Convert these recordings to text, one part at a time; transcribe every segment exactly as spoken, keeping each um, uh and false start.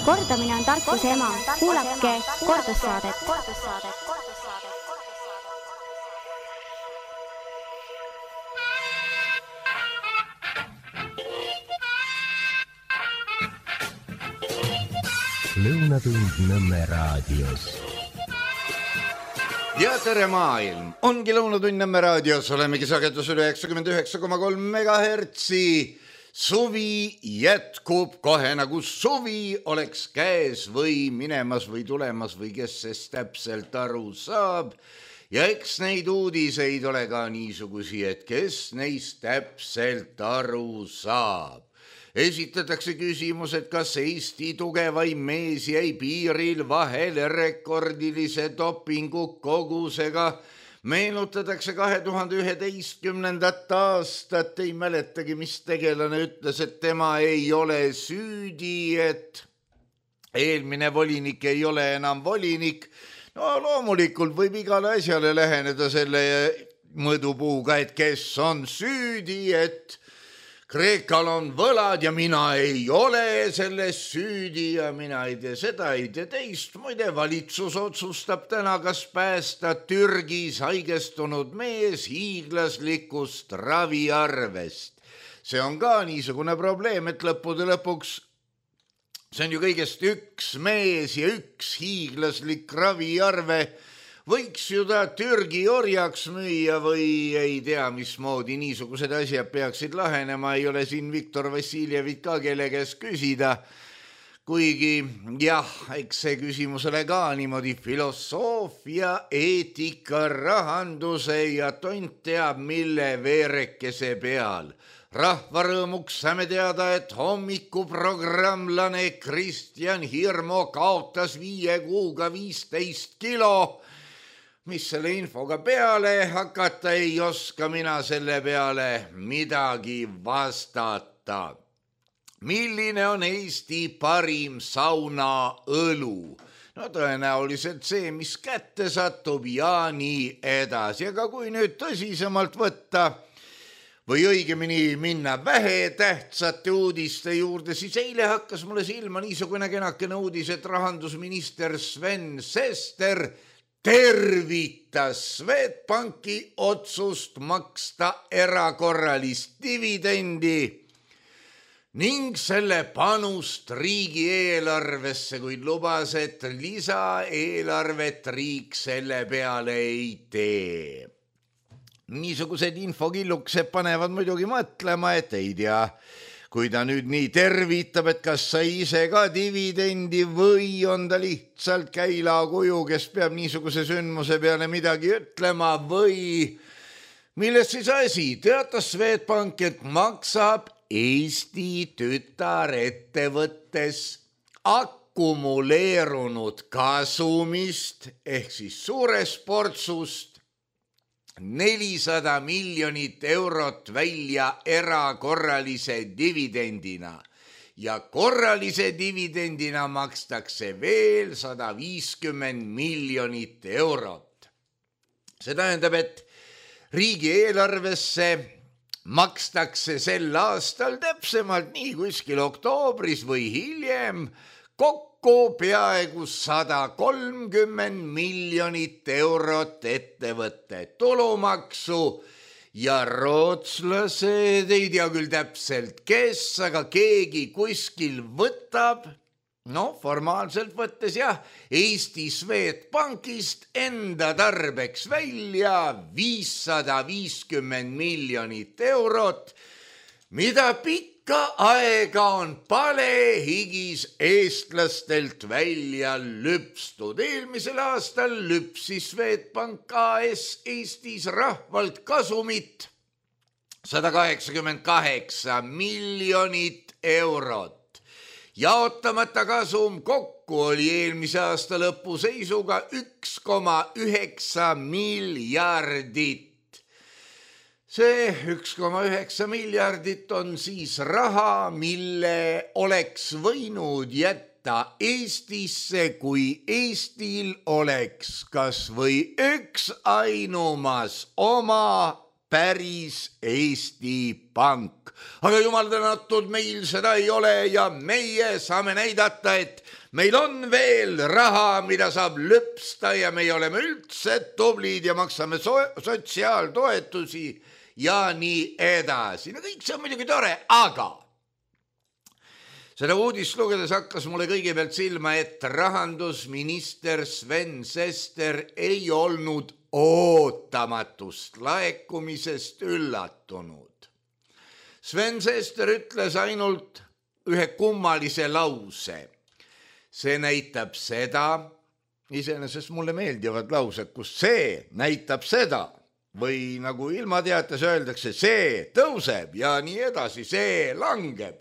Kordamine on tarkuse ema. Kuulake kordussaadet. Lõunatund Nõmme raadios. Ja tere maailm! Ongi Lõunatund Nõmme raadios. Olemegi sagedusel üheksakümmend üheksa koma kolm megahertsi. Suvi jätkub kohe nagu suvi oleks käes või minemas või tulemas või kes sest täpselt aru saab. Ja eks neid uudiseid ole ka niisugusi, et kes neist täpselt aru saab. Esitatakse küsimus, et kas Eesti tugevaim mees jäi piiril vahele rekordilise dopingu kogusega. Meenutatakse kahe tuhande üheteistkümnendat aastat, ei mäletagi, mis tegelane ütles, et tema ei ole süüdi, et eelmine volinik ei ole enam volinik. No loomulikult võib igale asjale läheneda selle mõõdupuuga, et kes on süüdi, et Kreekal on võlad ja mina ei ole selles süüdi ja mina ei tee seda, ei tee teist. Muide, valitsus otsustab täna, kas päästa Türgis haigestunud mees hiiglaslikust raviarvest. See on ka niisugune probleem, et lõppude lõpuks see on ju kõigest üks mees ja üks hiiglaslik raviarve. Võiks ju ta Türgi orjaks müüa või ei tea, mismoodi niisugused asjad peaksid lahenema. Ei ole siin Viktor Vassiljevit ka kelle käest küsida. Kuigi jah, eks see küsimus ole ka niimoodi filosoofia, eetika, rahanduse ja tont teab mille veerekese peal. Rahvarõõmuks saame teada, et hommikuprogramlane Kristjan Hirmo kaotas viie kuuga viisteist kilo. Mis selle infoga peale hakata, ei oska mina selle peale midagi vastata. Milline on Eesti parim saunaõlu? No tõenäoliselt see, mis kätte satub ja nii edasi. Aga kui nüüd tõsisemalt võtta või õigemini minna vähe tähtsate uudiste juurde, siis eile hakkas mulle silma niisugune kenakene uudis, et rahandusminister Sven Sester tervitas Swedbanki otsust maksta erakorralist dividendi ning selle panust riigieelarvesse, kuid lubas, et lisaeelarvet riik selle peale ei tee. Niisugused infokilluksed panevad muidugi mõtlema, et ei tea, kui ta nüüd nii tervitab, et kas sa ise ka dividendi või on ta lihtsalt käilakuju, kes peab niisuguse sündmuse peale midagi ütlema või milles siis asi? Teatas Swedbank, et maksab Eesti tütarettevõttes akkumuleerunud kasumist ehk siis suurest portsust nelisada miljonit eurot välja erakorralise dividendina ja korralise dividendina makstakse veel sada viiskümmend miljonit eurot. See tähendab, et riigieelarvesse makstakse sel aastal täpsemalt nii kuskil oktoobris või hiljem kokku peaaegu sada kolmkümmend miljonit eurot ettevõtte tulumaksu ja rootslased ei tea küll täpselt kes, aga keegi kuskil võtab, no formaalselt võttes jah, Eesti Swedbankist enda tarbeks välja viissada viiskümmend miljonit eurot, mida pikk Ka aega on palehigis eestlastelt välja lüpstud. Eelmisel aastal lüpsis Swedbank A S Eestis rahvalt kasumit sada kaheksakümmend kaheksa miljonit eurot. Jaotamata kasum kokku oli eelmise aasta lõpu seisuga üks koma üheksa miljardit. See üks koma üheksa miljardit on siis raha, mille oleks võinud jätta Eestisse, kui Eestil oleks kas või üks ainumas oma päris Eesti Pank. Aga jumal tänatud, meil seda ei ole ja meie saame näidata, et meil on veel raha, mida saab lõpsta ja me oleme üldse tublid ja maksame so- sotsiaaltoetusi ja nii edasi. No kõik see on muidugi tore, aga seda uudist lugedes hakkas mulle kõigepealt silma, et rahandusminister Sven Sester ei olnud ootamatust laekumisest üllatunud. Sven Sester ütles ainult ühe kummalise lause. See näitab seda, iseenesest mulle meeldivad laused, kus see näitab seda või nagu ilmateates öeldakse, see tõuseb ja nii edasi, see langeb.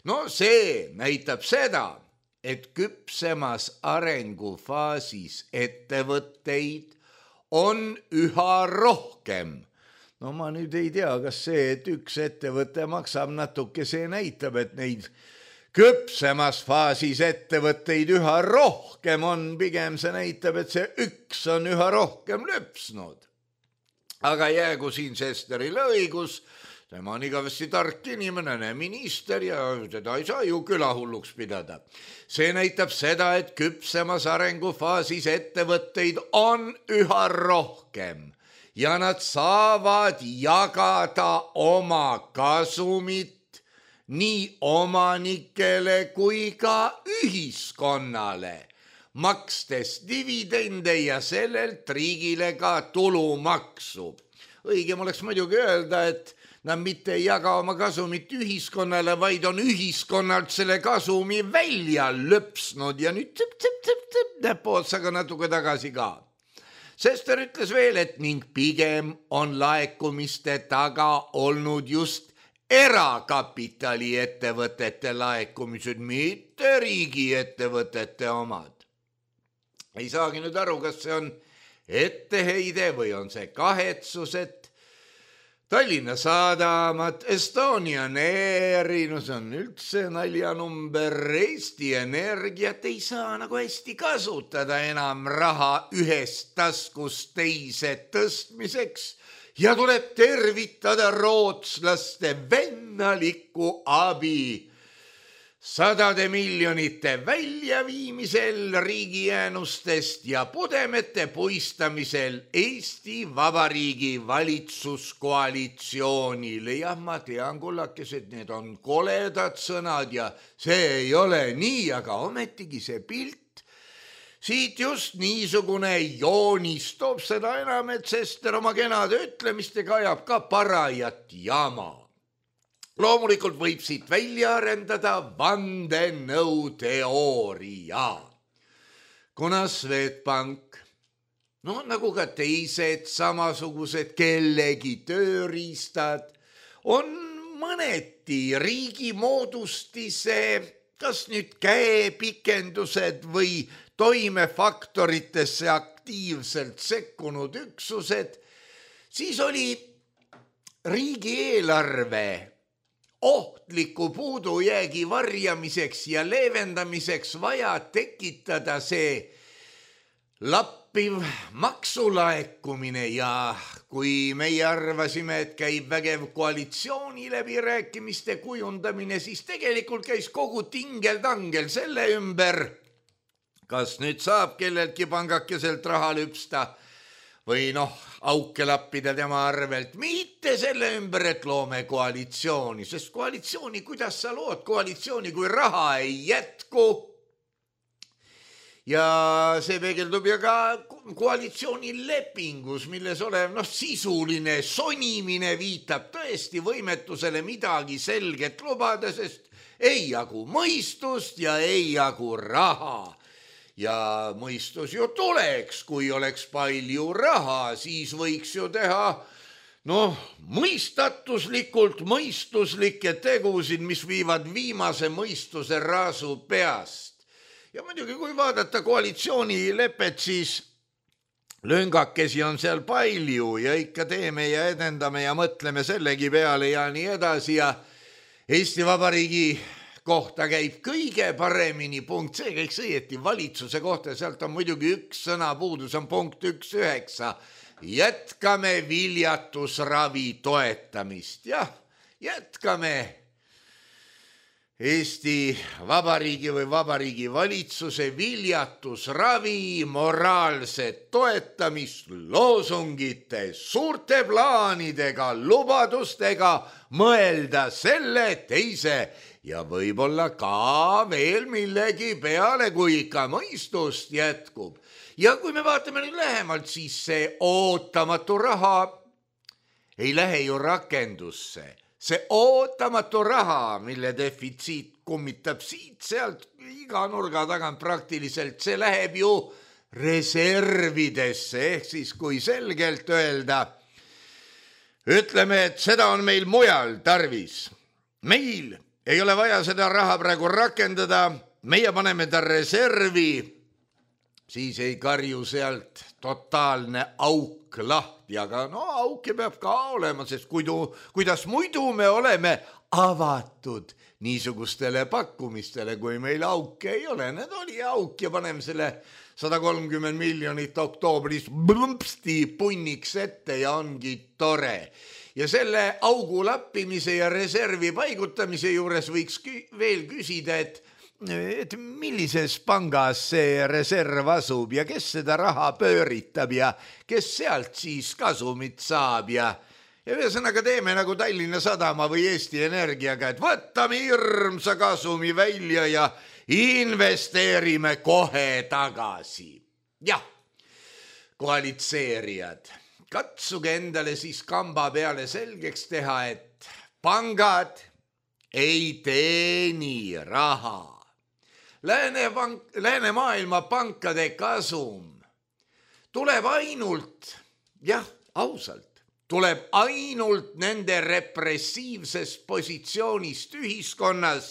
No see näitab seda, et küpsemas arengufaasis ettevõtteid on üha rohkem. No ma nüüd ei tea, kas see, et üks ettevõte maksab natuke, see näitab, et neid küpsemas faasis ettevõtteid üha rohkem on, pigem see näitab, et see üks on üha rohkem löpsnud. Aga jäägu siin Sesterile õigus, tema on igavesti tark inimene, minister ja teda ei saa ju külahulluks pidada. See näitab seda, et küpsemas arengufaasis ettevõtteid on üha rohkem ja nad saavad jagada oma kasumit nii omanikele kui ka ühiskonnale, makstes dividende ja sellelt riigile ka tulumaksu. Õigem oleks muidugi öelda, et nad mitte ei jaga oma kasumit ühiskonnale, vaid on ühiskonnalt selle kasumi välja lõpsnud ja nüüd tõp, tõp, tõp, tõp, näppootsaga natuke tagasi ka. Sester ütles veel, et ning pigem on laekumiste taga olnud just erakapitali ettevõtete laekumised, mitte riigiettevõtete omad. Ei saagi nüüd aru, kas see on etteheide või on see kahetsus, et Tallinna Sadamat, Estonian Airi, no see on üldse naljanumber, Eesti Energiat ei saa nagu hästi kasutada enam raha ühest taskust teise tõstmiseks ja tuleb tervitada rootslaste vennalikku abi sadade miljonite väljaviimisel riigijäänustest ja pudemete puistamisel Eesti Vabariigi valitsuskoalitsioonile. Jah, ma tean, kullakesed, need on koledad sõnad ja see ei ole nii, aga ometigi see pilt siit just niisugune joonis toob seda enam, et Sester oma kenade ütlemistega ajab ka parajat jama. Loomulikult võib siit välja arendada vandenõuteooria. Kuna Swedbank, no nagu ka teised samasugused kellegi tööriistad, on mõneti riigi moodustise, kas nüüd käepikendused või toimefaktoritesse aktiivselt sekkunud üksused, siis oli riigieelarve ohtliku puudujäägi varjamiseks ja leevendamiseks vaja tekitada see lappiv maksulaekumine ja kui meie arvasime, et käib vägev koalitsiooni läbirääkimiste kujundamine, siis tegelikult käis kogu tingel-tangel selle ümber, kas nüüd saab kelleltki pangakeselt raha lüpsta või noh, auke lappida tema arvelt, mitte selle ümber, et loome koalitsiooni, sest koalitsiooni, kuidas sa lood koalitsiooni, kui raha ei jätku? Ja see peegeldub ja ka koalitsioonilepingus, milles olev noh, sisuline sonimine viitab tõesti võimetusele midagi selget lubada, sest ei jagu mõistust ja ei jagu raha. Ja mõistus ju tuleks, kui oleks palju raha, siis võiks ju teha noh, mõistatuslikult mõistuslikke tegusid, mis viivad viimase mõistuse raasu peast. Ja muidugi, kui vaadata koalitsioonilepet, siis lüngakesi on seal palju ja ikka teeme ja edendame ja mõtleme sellegi peale ja nii edasi ja Eesti Vabariigi kohta käib kõige paremini punkt, see käiks õieti valitsuse kohta, sealt on muidugi üks sõna puudu, see on punkt üks üheksa. jätkame viljatusravi toetamist. Jah, jätkame Eesti Vabariigi või Vabariigi valitsuse viljatusravi moraalset toetamist loosungite, suurte plaanidega, lubadustega mõelda selle, teise ja võib-olla ka veel millegi peale, kui ikka mõistust jätkub. Ja kui me vaatame nüüd lähemalt, siis see ootamatu raha ei lähe ju rakendusse. See ootamatu raha, mille defitsiit kummitab siit, sealt iga nurga tagant praktiliselt, see läheb ju reservidesse, ehk siis kui selgelt öelda, ütleme, et seda on meil mujal tarvis. Meil ei ole vaja seda raha praegu rakendada, meie paneme ta reservi, siis ei karju sealt totaalne auk lahti, aga no auke peab ka olema, sest kuidu, kuidas muidu me oleme avatud niisugustele pakkumistele, kui meil auke ei ole. Need oli auk ja paneme selle sada kolmkümmend miljonit oktoobris blumpsti punniks ette ja ongi tore. Ja selle augu lappimise ja reservi paigutamise juures võiks kü- veel küsida, et et millises pangas see reserv asub ja kes seda raha pööritab ja kes sealt siis kasumit saab ja ja ühesõnaga teeme nagu Tallinna Sadama või Eesti Energiaga, et võtame hirmsa kasumi välja ja investeerime kohe tagasi. Jah, koalitseerijad, katsuge endale siis kamba peale selgeks teha, et pangad ei teeni raha. Lääne, pank, lääne maailma pankade kasum tuleb ainult, jah, ausalt, tuleb ainult nende repressiivsest positsioonist ühiskonnas,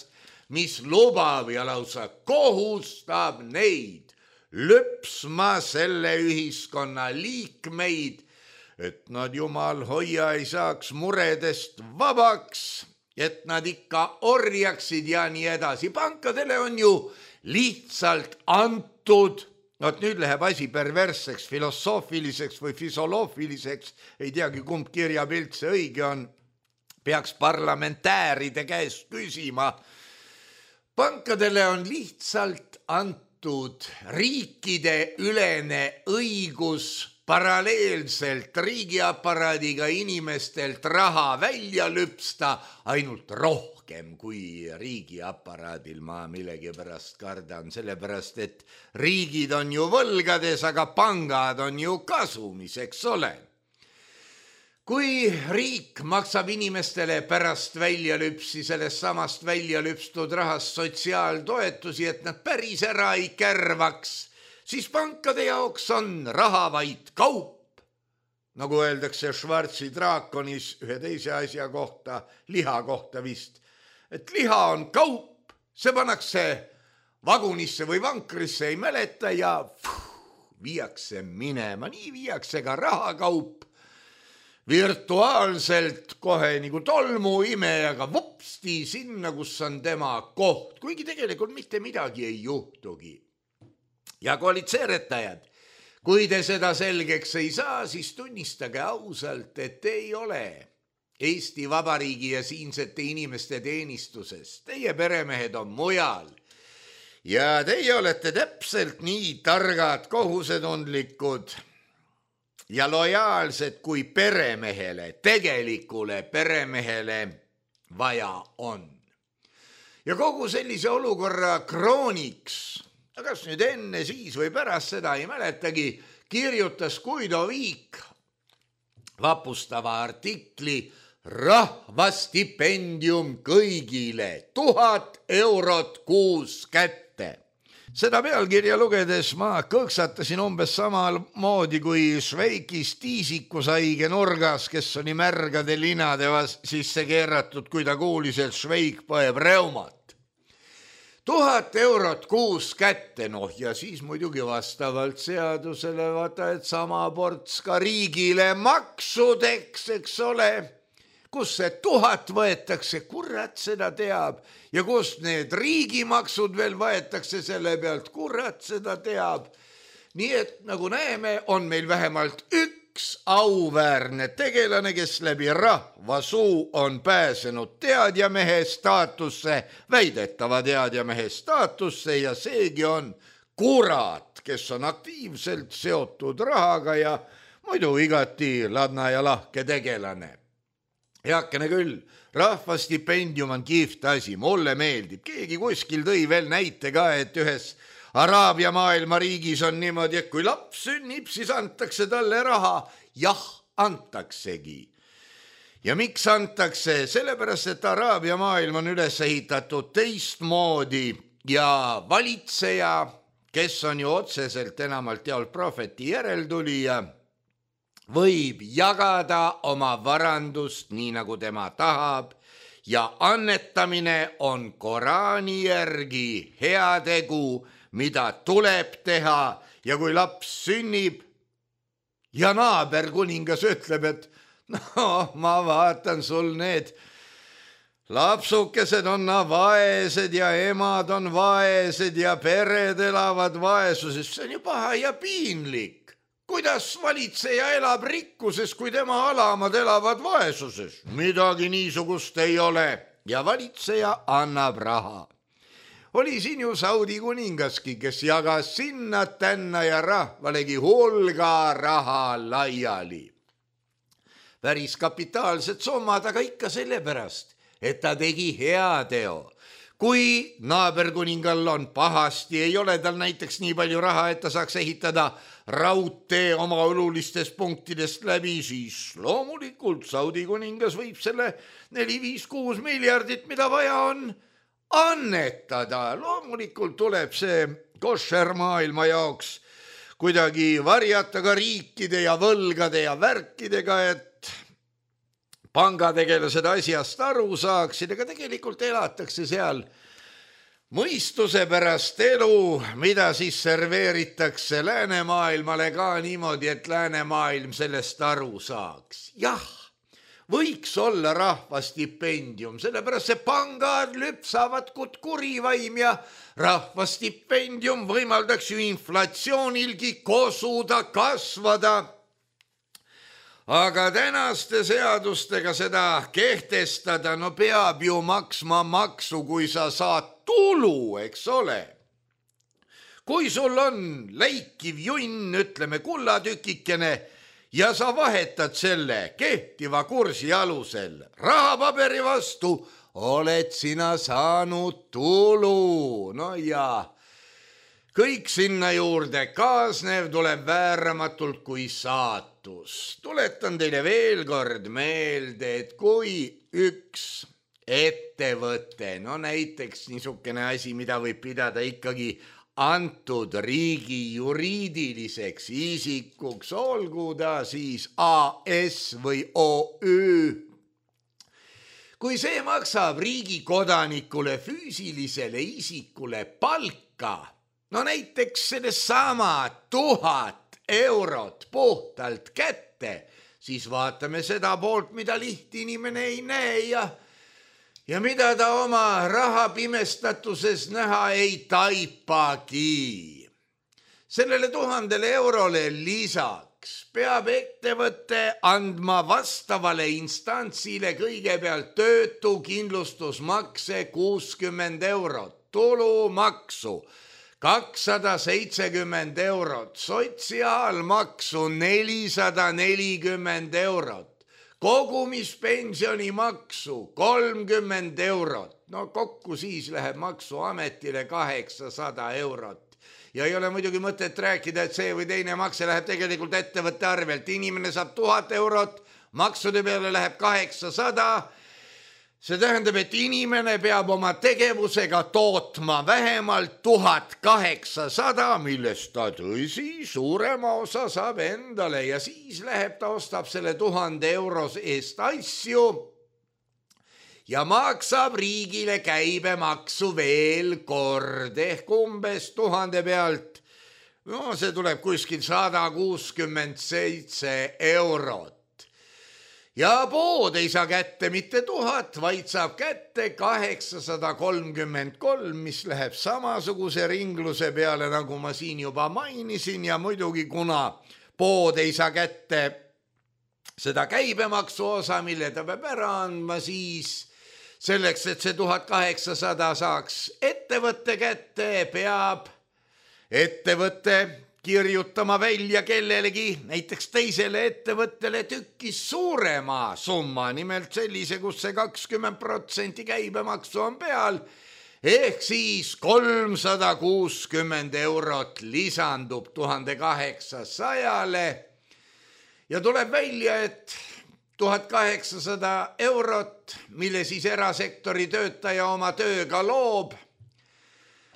mis lubab ja lausa kohustab neid lõpsma selle ühiskonna liikmeid, et nad jumal hoia ei saaks muredest vabaks, et nad ikka orjaksid ja nii edasi. Pankadele on ju lihtsalt antud, no nüüd läheb asi perversseks, filosoofiliseks või fisoloofiliseks, ei teagi kumb kirjapilt see õige on, peaks parlamentääride käest küsima. Pankadele on lihtsalt antud riikide ülene õigus paralleelselt riigiaparaadiga inimestelt raha välja lüpsta ainult rohkem kui riigiaparaadil. Ma millegi pärast kardan, sellepärast et riigid on ju võlgades, aga pangad on ju kasumis, eks ole. Kui riik maksab inimestele pärast välja lüpsi sellest samast välja lüpstud rahast sotsiaaltoetusi, et nad päris ära ei kärvaks, siis pankade jaoks on raha vaid kaup. Nagu öeldakse Schwarzi draakonis ühe teise asja kohta, liha kohta vist, et liha on kaup, see pannakse vagunisse või vankrisse, ei mäleta ja pfuh, viiakse minema. Nii viiakse ka rahakaup virtuaalselt kohe nagu tolmu imejaga vupsti sinna, kus on tema koht, kuigi tegelikult mitte midagi ei juhtugi. Ja koalitseeretajad, kui te seda selgeks ei saa, siis tunnistage ausalt, et ei ole Eesti Vabariigi ja siinsete inimeste teenistuses. Teie peremehed on mujal ja teie olete täpselt nii targad, kohusetundlikud ja lojaalsed, kui peremehele, tegelikule peremehele vaja on. Ja kogu sellise olukorra krooniks, kas nüüd enne, siis või pärast seda ei mäletagi, kirjutas Guido Viik vapustava artikli Rahvastipendium kõigile, tuhat eurot kuus kätte. Seda pealkirja lugedes ma kõksatasin umbes samal moodi kui Šveikis tiisikusaige nurgas, kes oli märgade linade sisse keeratud, kui ta kuulis, et Šveik põeb reumat. Tuhat eurot kuus kätte, noh ja siis muidugi vastavalt seadusele vaata, et sama ports ka riigile maksudeks, eks ole. Kus see tuhat võetakse, kurat seda teab, ja kus need riigimaksud veel võetakse selle pealt, kurat seda teab. Nii et nagu näeme, on meil vähemalt üks üks auväärne tegelane, kes läbi rahva suu on pääsenud teadjamehe staatusse, väidetava teadjamehe staatusse ja seegi on kurat, kes on aktiivselt seotud rahaga ja muidu igati ladna ja lahke tegelane. Heakene küll, rahvastipendium on kihvt asi, mulle meeldib. Keegi kuskil tõi veel näite ka, et ühes Araabia maailma riigis on niimoodi, et kui laps sünnib, siis antakse talle raha. Jah, antaksegi. Ja miks antakse? Sellepärast, et Araabia maailm on üles ehitatud teistmoodi ja valitseja, kes on ju otseselt enamalt jaolt prohveti järeltulija, võib jagada oma varandust nii, nagu tema tahab ja annetamine on Koraani järgi heategu, mida tuleb teha ja kui laps sünnib ja naaber kuningas ütleb, et no ma vaatan sul need lapsukesed on vaesed ja emad on vaesed ja pered elavad vaesuses, see on ju paha ja piinlik. Kuidas valitseja elab rikkuses, kui tema alamad elavad vaesuses? Midagi niisugust ei ole ja valitseja annab raha. Oli siin ju Saudi kuningaski, kes jagas sinna tänna ja rahvalegi hulga raha laiali. Päris kapitaalsed summad, aga ikka sellepärast, et ta tegi heateo. Kui naaberkuningal on pahasti, ei ole tal näiteks nii palju raha, et ta saaks ehitada raudtee oma olulistest punktidest läbi, siis loomulikult Saudi kuningas võib selle neli, viis, kuus miljardit, mida vaja on, annetada. Loomulikult tuleb see košer maailma jaoks kuidagi varjata ka riikide ja võlgade ja värkidega, et pangategelased asjast aru saaksid, aga tegelikult elatakse seal mõistuse pärast elu, mida siis serveeritakse läänemaailmale ka niimoodi, et läänemaailm sellest aru saaks. Jah, võiks olla rahvastipendium, sellepärast see pangad lüpsavad kut kurivaim ja rahvastipendium võimaldaks ju inflatsioonilgi kosuda, kasvada. Aga tänaste seadustega seda kehtestada, no peab ju maksma maksu, kui sa saad tulu, eks ole. Kui sul on läikiv junn, ütleme kullatükikene, ja sa vahetad selle kehtiva kursi alusel rahapaberi vastu, oled sina saanud tulu. No ja kõik sinna juurde kaasnev tuleb vääramatult kui saatus. Tuletan teile veel kord meelde, et kui üks ettevõte, no näiteks niisugune asi, mida võib pidada ikkagi antud riigi juriidiliseks isikuks, olgu ta siis A S või O Ü, kui see maksab riigi kodanikule füüsilisele isikule palka, no näiteks sellesama tuhat eurot puhtalt kätte, siis vaatame seda poolt, mida liht inimene ei näe ja, ja mida ta oma raha pimestatuses näha ei taipagi. Sellele tuhandele eurole lisaks peab ettevõte andma vastavale instantsile kõigepealt töötukindlustusmakse kuuskümmend eurot, tulumaksu kakssada seitsekümmend eurot, sotsiaalmaksu nelisada nelikümmend eurot, kogumispensionimaksu kolmkümmend eurot, no kokku siis läheb maksuametile kaheksasada eurot. Ja ei ole muidugi mõtet rääkida, et see või teine makse läheb tegelikult ettevõtte arvelt. Inimene saab tuhat eurot, maksude peale läheb kaheksasada. See tähendab, et inimene peab oma tegevusega tootma vähemalt tuhat kaheksasada, millest ta tõsi suurema osa saab endale ja siis läheb ta ostab selle tuhande euros eest asju ja maksab riigile käibemaksu veel kord ehk umbes tuhande pealt. No see tuleb kuskil sada kuuskümmend seitse eurot. Ja pood ei saa kätte mitte tuhat, vaid saab kätte kaheksasada kolmkümmend kolm, mis läheb samasuguse ringluse peale, nagu ma siin juba mainisin ja muidugi kuna pood ei saa kätte seda käibemaksu osa, mille ta peab ära andma siis selleks, et see tuhat kaheksasada saaks ettevõtte kätte, peab ettevõtte kirjutama välja kellelegi, näiteks teisele ettevõttele tükis suurema summa, nimelt sellise, kus see kakskümmend protsenti käibemaksu on peal, ehk siis kolmsada kuuskümmend eurot lisandub tuhande kaheksasajale ja tuleb välja, et tuhat kaheksasada eurot, mille siis erasektori töötaja oma tööga loob,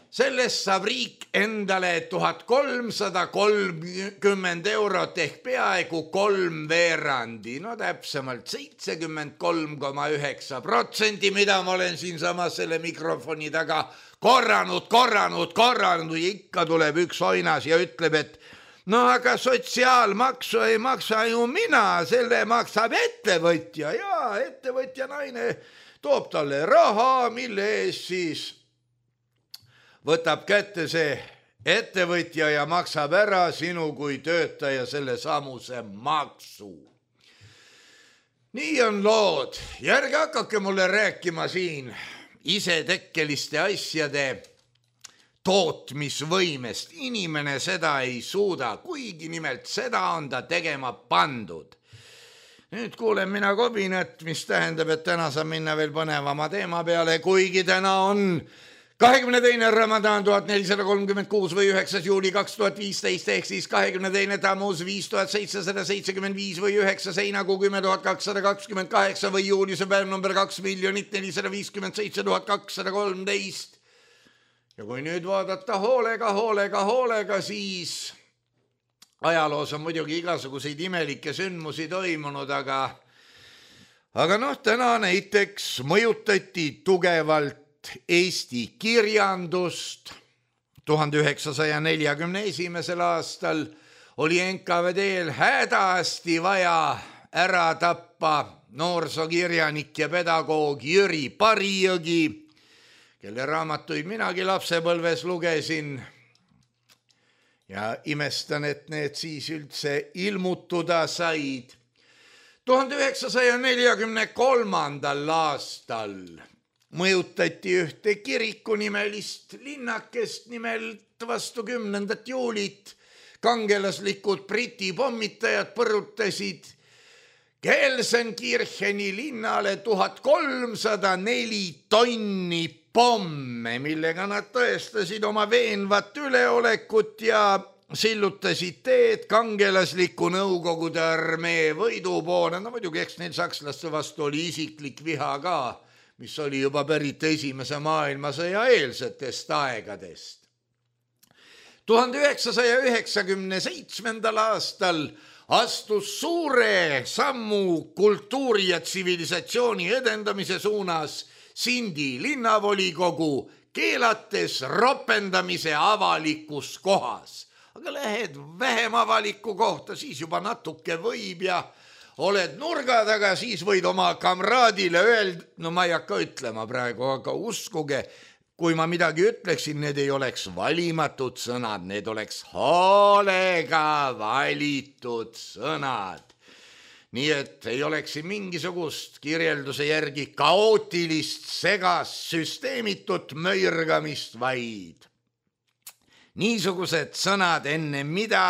sellest saab riik endale tuhat kolmsada kolmkümmend eurot ehk peaaegu kolm veerandi, no täpsemalt seitsekümmend kolm koma üheksa protsenti, mida ma olen siinsamas selle mikrofoni taga korranud, korranud, korranud ja ikka tuleb üks oinas ja ütleb, et no aga sotsiaalmaksu ei maksa ju mina, selle maksab ettevõtja ja ettevõtja naine toob talle raha, mille ees siis võtab kätte see ettevõtja ja maksab ära sinu kui töötaja selle samuse maksu. Nii on lood. Järge hakake mulle rääkima siin isetekkeliste asjade tootmisvõimest. Inimene seda ei suuda, kuigi nimelt seda on ta tegema pandud. Nüüd kuulen mina kobinat, mis tähendab, et täna saab minna veel põnevama teema peale, kuigi täna on kahekümne teine Ramadan tuhat nelisada kolmkümmend kuus või üheksas juuli kaks tuhat viisteist ehk siis kahekümne teine Tammuz viis tuhat seitsesada seitsekümmend viis või üheksas heinakuu kümme tuhat kakssada kakskümmend kaheksa või juulise päev number kaks miljonit nelisada viiskümmend seitse tuhat kakssada kolmteist. Ja kui nüüd vaadata hoolega, hoolega, hoolega, siis ajaloos on muidugi igasuguseid imelikke sündmusi toimunud, aga, aga noh, täna näiteks mõjutati tugevalt Eesti kirjandust. tuhande üheksasaja neljakümne esimesel aastal oli N K V D-l hädasti vaja ära tappa noorsokirjanik ja pedagoog Jüri Parijõgi, kelle raamatuid minagi lapsepõlves lugesin ja imestan, et need siis üldse ilmutuda said. tuhande üheksasaja neljakümne kolmandal aastal mõjutati ühte kirikunimelist linnakest, nimelt vastu kümnendat juulit kangelaslikud Briti pommitajad põrutasid Gelsenkircheni linnale tuhat kolmsada neli tonni pomme, millega nad tõestasid oma veenvat üleolekut ja sillutasid teed kangelasliku Nõukogude armee võidu poole. No muidugi, eks neil sakslaste vastu oli isiklik viha ka, mis oli juba pärit esimese maailmasõja eelsetest aegadest. tuhande üheksasaja üheksakümne seitsmendal aastal astus suure sammu kultuuri ja tsivilisatsiooni edendamise suunas Sindi linnavolikogu, keelates ropendamise avalikus kohas. Aga lähed vähem avaliku kohta, siis juba natuke võib ja oled nurga taga, siis võid oma kamraadile öelda, no ma ei hakka ütlema praegu, aga uskuge, kui ma midagi ütleksin, need ei oleks valimatud sõnad, need oleks hoolega valitud sõnad. Nii et ei oleks mingisugust kirjelduse järgi kaootilist, segast, süsteemitut möirgamist, vaid niisugused sõnad, enne mida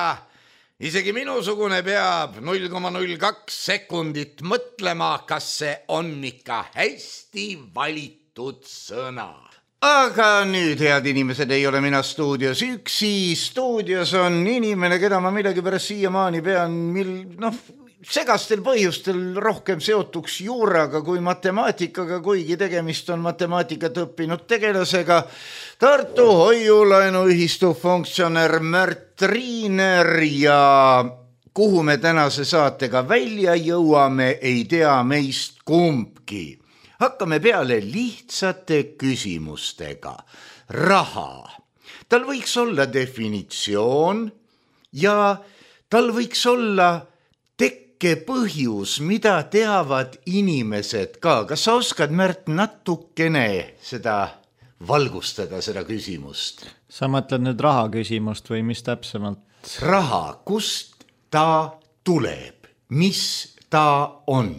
isegi minusugune peab null koma null kaks sekundit mõtlema, kas see on ikka hästi valitud sõna. Aga nüüd, head inimesed, ei ole mina stuudios üksi. Stuudios on inimene, keda ma millegipärast siiamaani pean mil, noh, segastel põhjustel rohkem seotuks juuraga kui matemaatikaga, kuigi tegemist on matemaatikat õppinud tegelasega. Tartu Hoiulaenuühistu funktsionär Märt Riiner ja kuhu me tänase saatega välja jõuame, ei tea meist kumbki. Hakkame peale lihtsate küsimustega. Raha. Tal võiks olla definitsioon ja tal võiks olla põhjus, mida teavad inimesed ka. Kas sa oskad, Märt, natukene seda valgustada, seda küsimust? Sa mõtled nüüd raha küsimust või mis täpsemalt? Raha, kust ta tuleb? Mis ta on?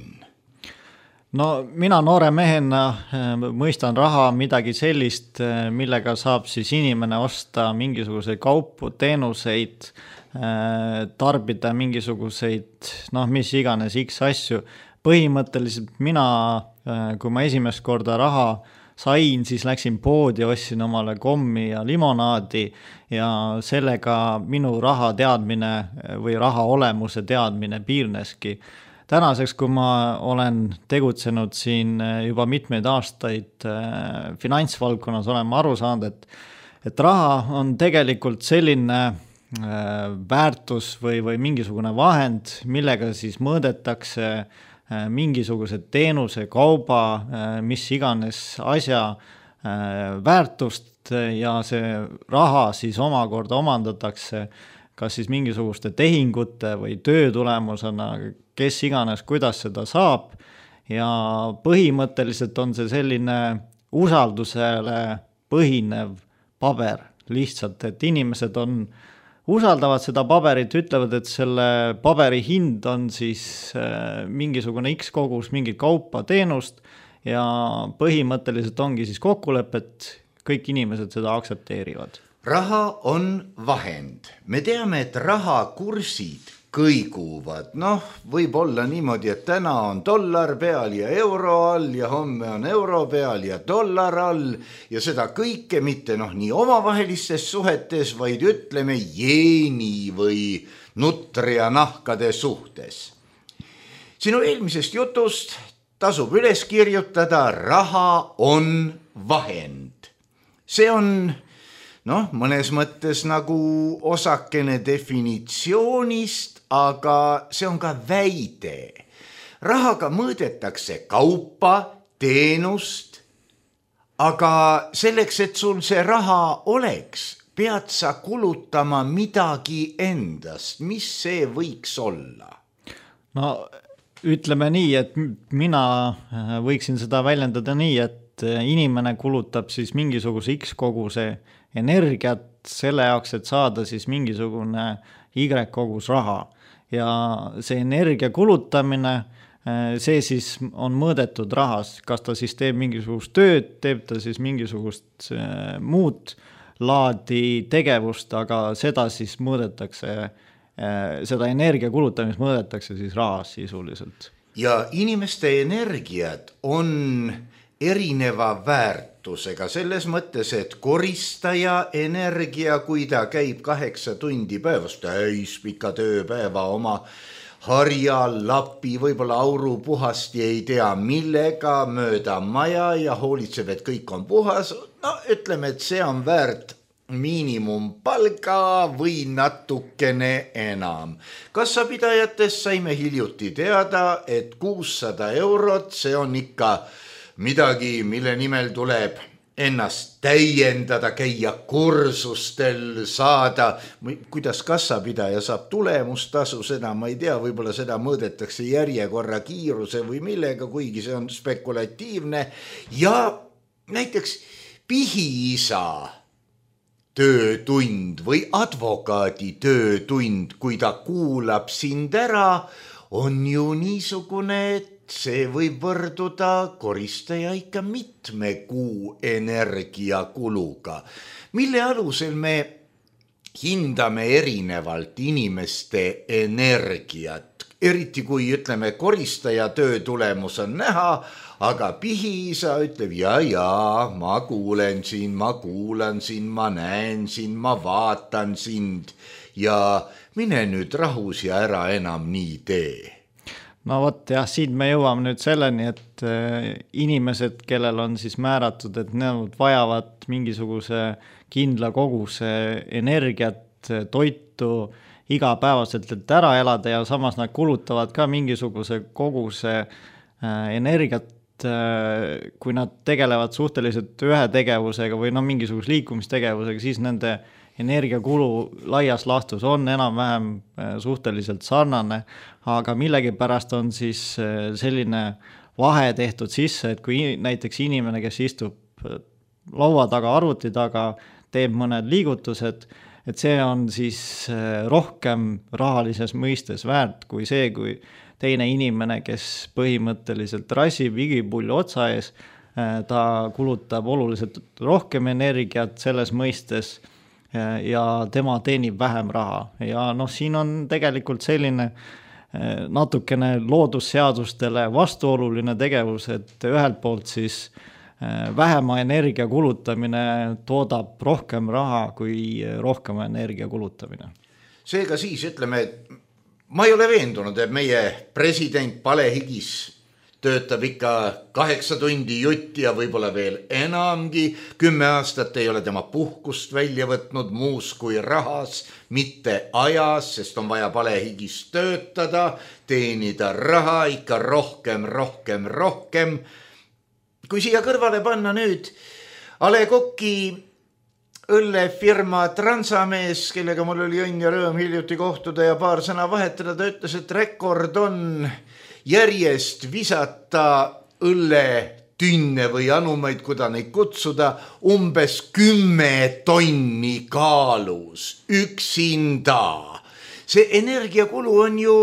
No mina noore mehena mõistan raha midagi sellist, millega saab siis inimene osta mingisuguseid kaupu, teenuseid, tarbida mingisuguseid, noh mis iganes X asju. Põhimõtteliselt mina, kui ma esimest korda raha sain, siis läksin poodi, ostsin omale kommi ja limonaadi ja sellega minu raha teadmine või raha olemuse teadmine piirneski. Tänaseks, kui ma olen tegutsenud siin juba mitmeid aastaid finantsvaldkonnas, olen ma aru saanud, et, et raha on tegelikult selline väärtus või, või mingisugune vahend, millega siis mõõdetakse mingisugused teenuse, kauba, mis iganes asja väärtust ja see raha siis omakorda omandatakse kas siis mingisuguste tehingute või töö tulemusena, kes iganes, kuidas seda saab ja põhimõtteliselt on see selline usaldusele põhinev paber lihtsalt, et inimesed on, usaldavad seda paberit, ütlevad, et selle paberi hind on siis mingisugune X kogus mingit kaupa teenust ja põhimõtteliselt ongi siis kokkulepet, kõik inimesed seda aksepteerivad. Raha on vahend. Me teame, et rahakursid kõiguvad. Noh, võib olla niimoodi, et täna on dollar peal ja euro all ja homme on euro peal ja dollar all ja seda kõike mitte noh, nii omavahelistes suhetes, vaid ütleme jeeni või nutria nahkade suhtes. Sinu eelmisest jutust tasub üles kirjutada, raha on vahend. See on noh, mõnes mõttes nagu osakene definitsioonist, aga see on ka väide. Rahaga mõõdetakse kaupa, teenust, aga selleks, et sul see raha oleks, pead sa kulutama midagi endast. Mis see võiks olla? No ütleme nii, et mina võiksin seda väljendada nii, et inimene kulutab siis mingisuguse X koguse energiat selle jaoks, et saada siis mingisugune Y kogus raha ja see energia kulutamine, see siis on mõõdetud rahas, kas ta siis teeb mingisugust tööd, teeb ta siis mingisugust muud laadi tegevust, aga seda siis mõõdetakse, seda energia kulutamist mõõdetakse siis rahas sisuliselt. Ja inimeste energiat on erineva väärtusega selles mõttes, et koristaja energia, kui ta käib kaheksa tundi päevas, täis pika tööpäeva oma harja, lapi, võib-olla auru puhasti ei tea millega mööda maja ja hoolitseb, et kõik on puhas. No ütleme, et see on väärt miinimumpalga või natukene enam. Kassapidajatest saime hiljuti teada, et kuussada eurot, see on ikka midagi, mille nimel tuleb ennast täiendada, käia kursustel, saada, kuidas kassapidaja saab tulemustasu, seda ma ei tea, võib-olla seda mõõdetakse järjekorra kiiruse või millega, kuigi see on spekulatiivne. Ja näiteks pihiisa töötund või advokaadi töötund, kui ta kuulab sind ära, on ju niisugune, et see võib võrduda koristaja ikka mitme kuu energiakuluga, mille alusel me hindame erinevalt inimeste energiat. Eriti kui ütleme, koristaja töö tulemus on näha, aga pihiisa ütleb, ja, ja, ma kuulen sind, ma kuulan sind, ma näen sind, ma vaatan sind ja mine nüüd rahus ja ära enam nii tee. No vot jah, siin me jõuame nüüd selleni, et inimesed, kellel on siis määratud, et nad vajavad mingisuguse kindla koguse energiat, toitu igapäevaselt, et ära elada ja samas nad kulutavad ka mingisuguse koguse energiat, kui nad tegelevad suhteliselt ühe tegevusega või no mingisuguse liikumistegevusega, siis nende energiakulu laias laastus on enam-vähem suhteliselt sarnane, aga millegipärast on siis selline vahe tehtud sisse, et kui näiteks inimene, kes istub laua taga, arvuti taga, teeb mõned liigutused, et see on siis rohkem rahalises mõistes väärt kui see, kui teine inimene, kes põhimõtteliselt rassib igipulli otsa ees, ta kulutab oluliselt rohkem energiat selles mõistes ja tema teenib vähem raha. Ja noh, siin on tegelikult selline natukene loodusseadustele vastuoluline tegevus, et ühelt poolt siis vähema energia kulutamine toodab rohkem raha kui rohkem energia kulutamine. Seega siis ütleme, et ma ei ole veendunud, et meie president palehigis töötab ikka kaheksa tundi jutti ja võib-olla veel enamgi. Kümme aastat ei ole tema puhkust välja võtnud muus kui rahas, mitte ajas, sest on vaja palehigis töötada, teenida raha ikka rohkem, rohkem, rohkem. Kui siia kõrvale panna nüüd A Le Coq'i õllefirma Transamees, kellega mul oli õnn ja rõõm hiljuti kohtuda ja paar sõna vahetada, ta ütles, et rekord on järjest visata õlletünne või anumaid, kuda neid kutsuda, umbes kümme tonni kaalus üksinda. See energiakulu on ju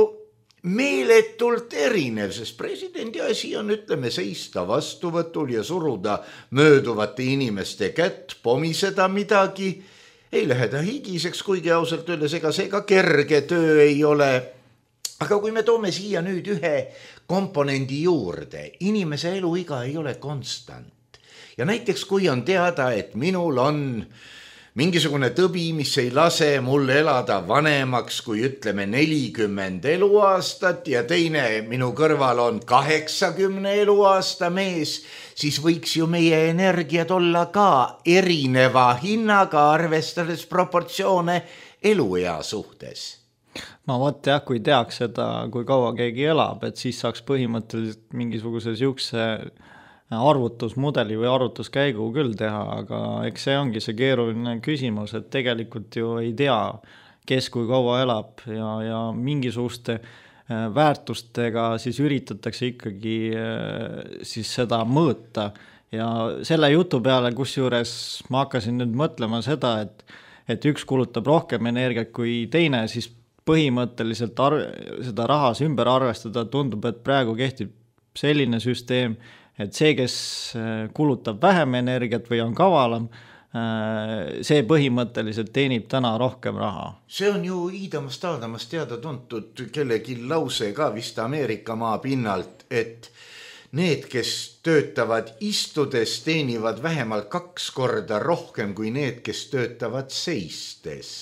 meeletult erinev, sest presidendi asi on, ütleme, seista vastuvõtul ja suruda mööduvate inimeste kätt, pomiseda midagi. Ei lähe ta higiseks, kuigi ausalt öeldes, ega see ka kerge töö ei ole. Aga kui me toome siia nüüd ühe komponendi juurde, inimese eluiga ei ole konstant. Ja näiteks kui on teada, et minul on mingisugune tõbi, mis ei lase mul elada vanemaks kui ütleme nelikümmend eluaastat ja teine minu kõrval on kaheksakümne eluaasta mees, siis võiks ju meie energiat olla ka erineva hinnaga, arvestades proportsioone eluea suhtes. No vot jah, kui teaks seda, kui kaua keegi elab, et siis saaks põhimõtteliselt mingisuguse siukse arvutusmudeli või arvutuskäigu küll teha, aga eks see ongi see keeruline küsimus, et tegelikult ju ei tea, kes kui kaua elab ja, ja mingisuguste väärtustega siis üritatakse ikkagi siis seda mõõta. Ja selle jutu peale, kus juures ma hakkasin nüüd mõtlema seda, et, et üks kulutab rohkem energiat kui teine, siis põhimõtteliselt arve, seda rahas ümber arvestada tundub, et praegu kehtib selline süsteem, et see, kes kulutab vähem energiat või on kavalam, see põhimõtteliselt teenib täna rohkem raha. See on ju iidamast aadamast teada tuntud kellegi lause ka vist Ameerika maa pinnalt, et need, kes töötavad istudes, teenivad vähemalt kaks korda rohkem kui need, kes töötavad seistes.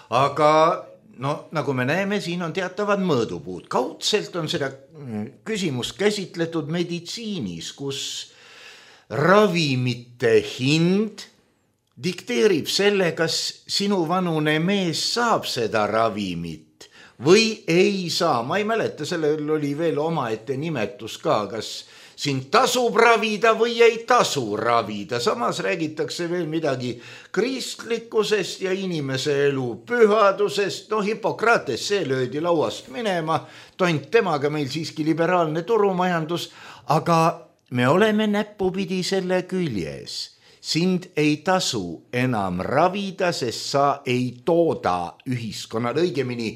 Aga no nagu me näeme, siin on teatavad mõõdupuud. Kaudselt on seda küsimus käsitletud meditsiinis, kus ravimite hind dikteerib selle, kas sinu vanune mees saab seda ravimit või ei saa. Ma ei mäleta, sellel oli veel omaette nimetus ka, kas sind tasub ravida või ei tasu ravida. Samas räägitakse veel midagi kristlikkusest ja inimese elu pühadusest. No Hippokrates, see löödi lauast minema, tont temaga meil siiski liberaalne turumajandus, aga me oleme näppupidi selle küljes. Sind ei tasu enam ravida, sest sa ei tooda ühiskonnal, õigemini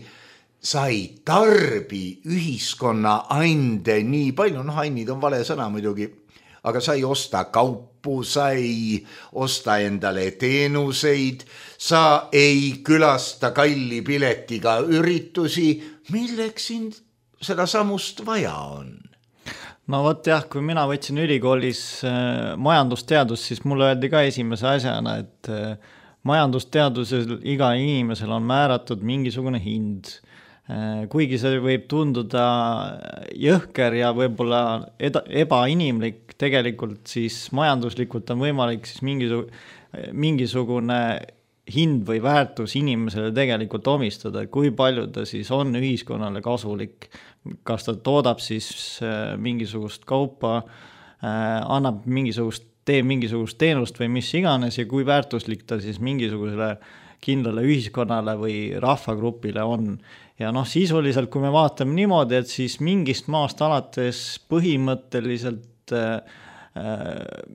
sa ei tarbi ühiskonna ande nii palju, noh ainid on vale sõna muidugi, aga sa ei osta kaupu, sa ei osta endale teenuseid, sa ei külasta kalli piletiga üritusi, milleks sind seda samust vaja on? No vot jah, kui mina võtsin ülikoolis majandusteadust, siis mulle öeldi ka esimese asjana, et majandusteadusel iga inimesel on määratud mingisugune hind. Kuigi see võib tunduda jõhker ja võib-olla ebainimlik, tegelikult siis majanduslikult on võimalik siis mingisugune hind või väärtus inimesele tegelikult omistada, kui palju ta siis on ühiskonnale kasulik, kas ta toodab siis mingisugust kaupa, annab mingisugust, teeb mingisugust teenust või mis iganes ja kui väärtuslik ta siis mingisugusele kindlale ühiskonnale või rahvagrupile on. Ja noh, sisuliselt, kui me vaatame niimoodi, et siis mingist maast alates põhimõtteliselt äh,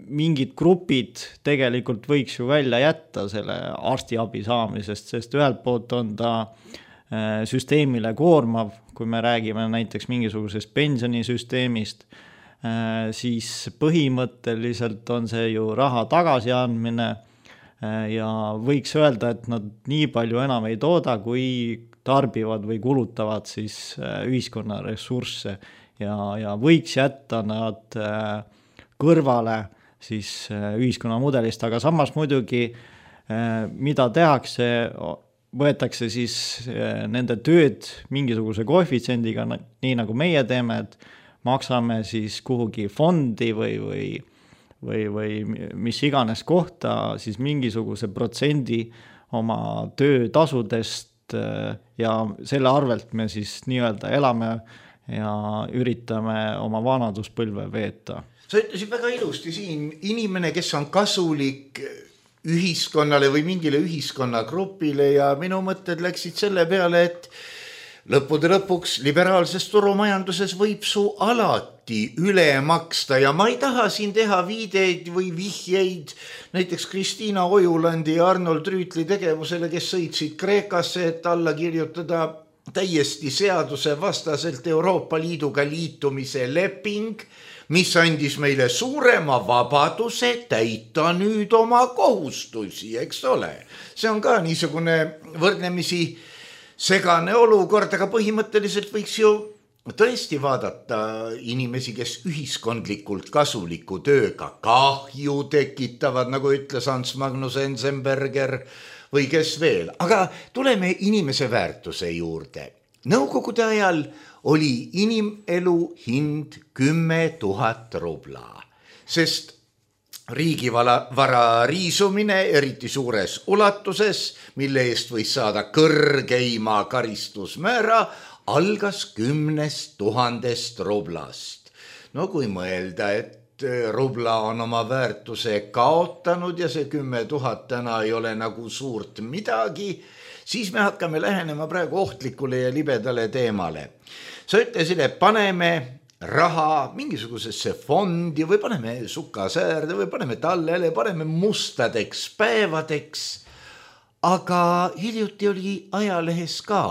mingid grupid tegelikult võiks ju välja jätta selle arstiabi saamisest, sest ühelt poolt on ta süsteemile koormav, kui me räägime näiteks mingisugusest pensionisüsteemist, siis põhimõtteliselt on see ju raha tagasi andmine ja võiks öelda, et nad nii palju enam ei tooda, kui tarbivad või kulutavad siis ühiskonna ressursse ja, ja võiks jätta nad kõrvale siis ühiskonna mudelist, aga samas muidugi mida tehakse, võetakse siis nende tööd mingisuguse koefitsiendiga, nii nagu meie teeme, et maksame siis kuhugi fondi või, või, või, või mis iganes kohta siis mingisuguse protsendi oma töötasudest ja selle arvelt me siis nii-öelda elame ja üritame oma vanaduspõlve veeta. Sa ütlesid väga ilusti siin, inimene, kes on kasulik ühiskonnale või mingile ühiskonnagrupile ja minu mõtted läksid selle peale, et lõppude lõpuks liberaalses turumajanduses võib su alati üle maksta ja ma ei taha siin teha viideid või vihjeid näiteks Kristiina Ojulandi ja Arnold Rüütli tegevusele, kes sõitsid Kreekasse, et alla kirjutada täiesti seaduse vastaselt Euroopa Liiduga liitumise leping, mis andis meile suurema vabaduse täita nüüd oma kohustusi, eks ole. See on ka niisugune võrdlemisi segane olukord, aga põhimõtteliselt võiks ju tõesti vaadata inimesi, kes ühiskondlikult kasuliku tööga kahju tekitavad, nagu ütles Hans Magnus Enzenberger või kes veel. Aga tuleme inimese väärtuse juurde. Nõukogude ajal oli inimelu hind kümme tuhat rubla, sest riigivara riisumine eriti suures ulatuses, mille eest võis saada kõrgeima karistusmäära, algas kümnest tuhandest rublast. No kui mõelda, et rubla on oma väärtuse kaotanud ja see kümme tuhat täna ei ole nagu suurt midagi, siis me hakkame lähenema praegu ohtlikule ja libedale teemale. Sa ütlesid, et paneme raha mingisugusesse fondi või paneme sukasäärde või paneme tallele, paneme mustadeks päevadeks, aga hiljuti oli ajalehes ka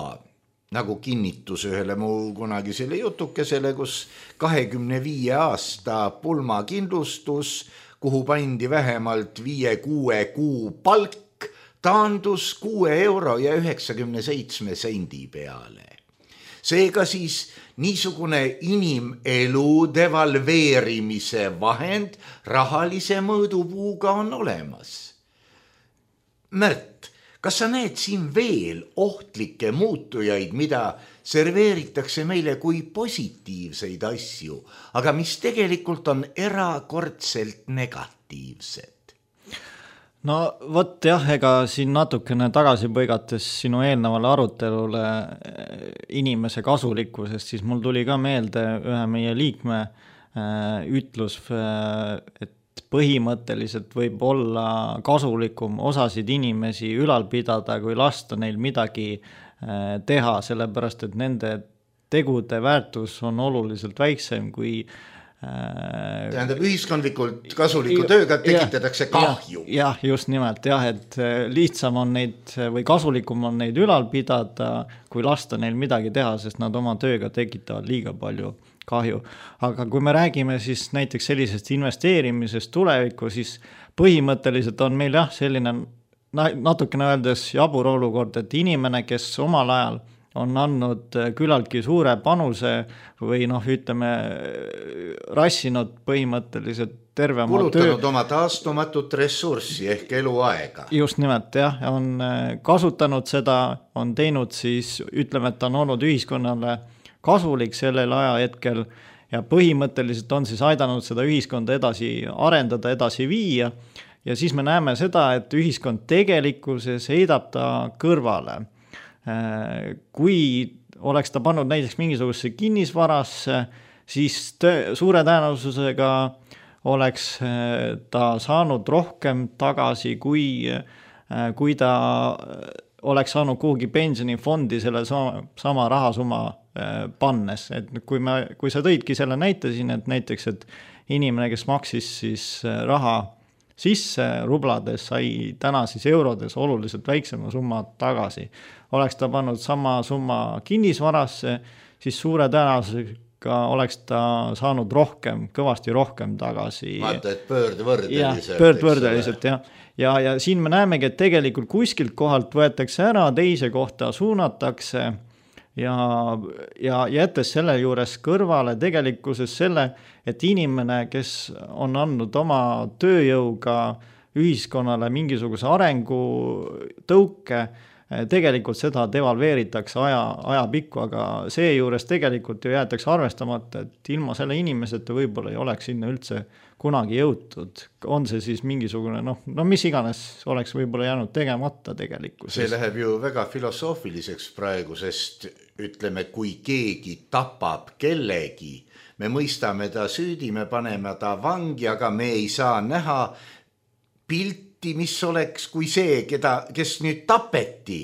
nagu kinnitus ühele mu kunagisele jutukesele, kus kahekümne viie aasta pulmakindlustus, kuhu pandi vähemalt viie kuue kuu palk, taandus kuue euro ja üheksakümne seitsme sendi peale. Seega siis niisugune inimelu devalveerimise vahend rahalise mõõdupuuga on olemas. Märt, kas sa näed siin veel ohtlikke muutujaid, mida serveeritakse meile kui positiivseid asju, aga mis tegelikult on erakordselt negatiivsed? No vot jah, ega siin natukene tagasi põigates sinu eelnevale arutelule inimese kasulikkusest, siis mul tuli ka meelde ühe meie liikme ütlus, et põhimõtteliselt võib olla kasulikum osasid inimesi ülal pidada, kui lasta neil midagi teha, sellepärast et nende tegude väärtus on oluliselt väiksem kui tähendab, ühiskondlikult kasuliku tööga tekitatakse kahju. Jah, just nimelt, jah, et lihtsam on neid või kasulikum on neid ülal pidada, kui lasta neil midagi teha, sest nad oma tööga tekitavad liiga palju kahju. Aga kui me räägime siis näiteks sellisest investeerimisest tulevikku, siis põhimõtteliselt on meil jah, selline natukene öeldes jabur olukord, et inimene, kes omal ajal on andnud küllaltki suure panuse või noh, ütleme, rassinud põhimõtteliselt terve oma töö. Kulutanud oma taastumatut ressurssi ehk eluaega. Just nimelt, jah, on kasutanud seda, on teinud siis, ütleme, et ta on olnud ühiskonnale kasulik sellel ajahetkel ja põhimõtteliselt on siis aidanud seda ühiskonda edasi arendada, edasi viia ja siis me näeme seda, et ühiskond tegelikkuses heidab ta kõrvale. Kui oleks ta pannud näiteks mingisugusesse kinnisvarasse, siis töö, suure tõenäosusega oleks ta saanud rohkem tagasi, kui, kui ta oleks saanud kuhugi pensionifondi selle sama, sama rahasumma pannes. Et kui, me, kui sa tõidki selle näite siin, et näiteks, et inimene, kes maksis siis raha sisse rublades, sai täna siis eurodes oluliselt väiksema summa tagasi. Oleks ta pannud sama summa kinnisvarasse, siis suure tõenäosusega oleks ta saanud rohkem, kõvasti rohkem tagasi. Vaata, et pöördvõrdeliselt. Ja, pöördvõrdeliselt, jah. Ja, ja siin me näemegi, et tegelikult kuskilt kohalt võetakse ära, teise kohta suunatakse ja, ja jättes selle juures kõrvale tegelikkuses selle, et inimene, kes on andnud oma tööjõuga ühiskonnale mingisuguse arengu tõuke, tegelikult seda devalveeritakse aja, aja pikku, aga see juures tegelikult ju jäetakse arvestamata, et ilma selle inimeseta võib-olla ei oleks sinna üldse kunagi jõutud. On see siis mingisugune, noh, no mis iganes oleks võib-olla jäänud tegemata tegelikult. See läheb ju väga filosoofiliseks praegu, sest ütleme, kui keegi tapab kellegi, me mõistame ta süüdi, me paneme ta vangi, aga me ei saa näha pilti, mis oleks kui see, keda, kes nüüd tapeti.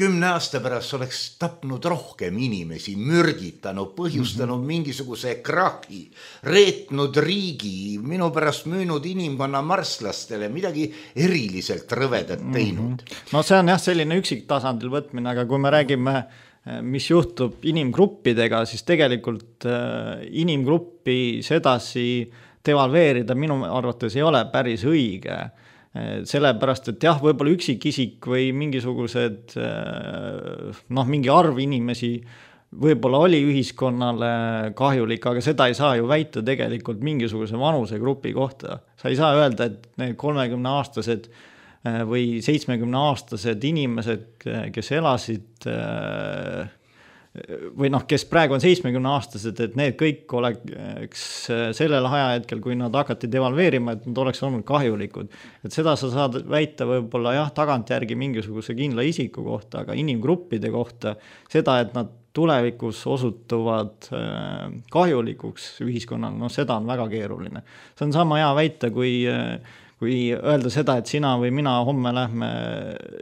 Kümne aasta pärast oleks tapnud rohkem inimesi, mürgitanud, põhjustanud mm-hmm. mingisuguse krahi, reetnud riigi, minu pärast müünud inimkonna marslastele, midagi eriliselt rõvedat teinud. Mm-hmm. No see on jah selline üksiktasandil võtmine, aga kui me räägime, mis juhtub inimgruppidega, siis tegelikult inimgruppi sedasi devalveerida minu arvates ei ole päris õige. Sellepärast, et jah, võib-olla üksikisik või mingisugused, noh, mingi arv inimesi võib-olla oli ühiskonnale kahjulik, aga seda ei saa ju väita tegelikult mingisuguse vanusegrupi kohta. Sa ei saa öelda, et need kolmekümne aastased või seitsmekümne aastased inimesed, kes elasid või noh, kes praegu on seitsmekümne aastased, et need kõik oleks sellel ajahetkel, kui nad hakati devalveerima, et nad oleks olnud kahjulikud. Et seda sa saad väita võib-olla jah, tagantjärgi mingisuguse kindla isiku kohta, aga inimgruppide kohta seda, et nad tulevikus osutuvad kahjulikuks ühiskonnal, no seda on väga keeruline. See on sama hea väita, kui kui öelda seda, et sina või mina homme lähme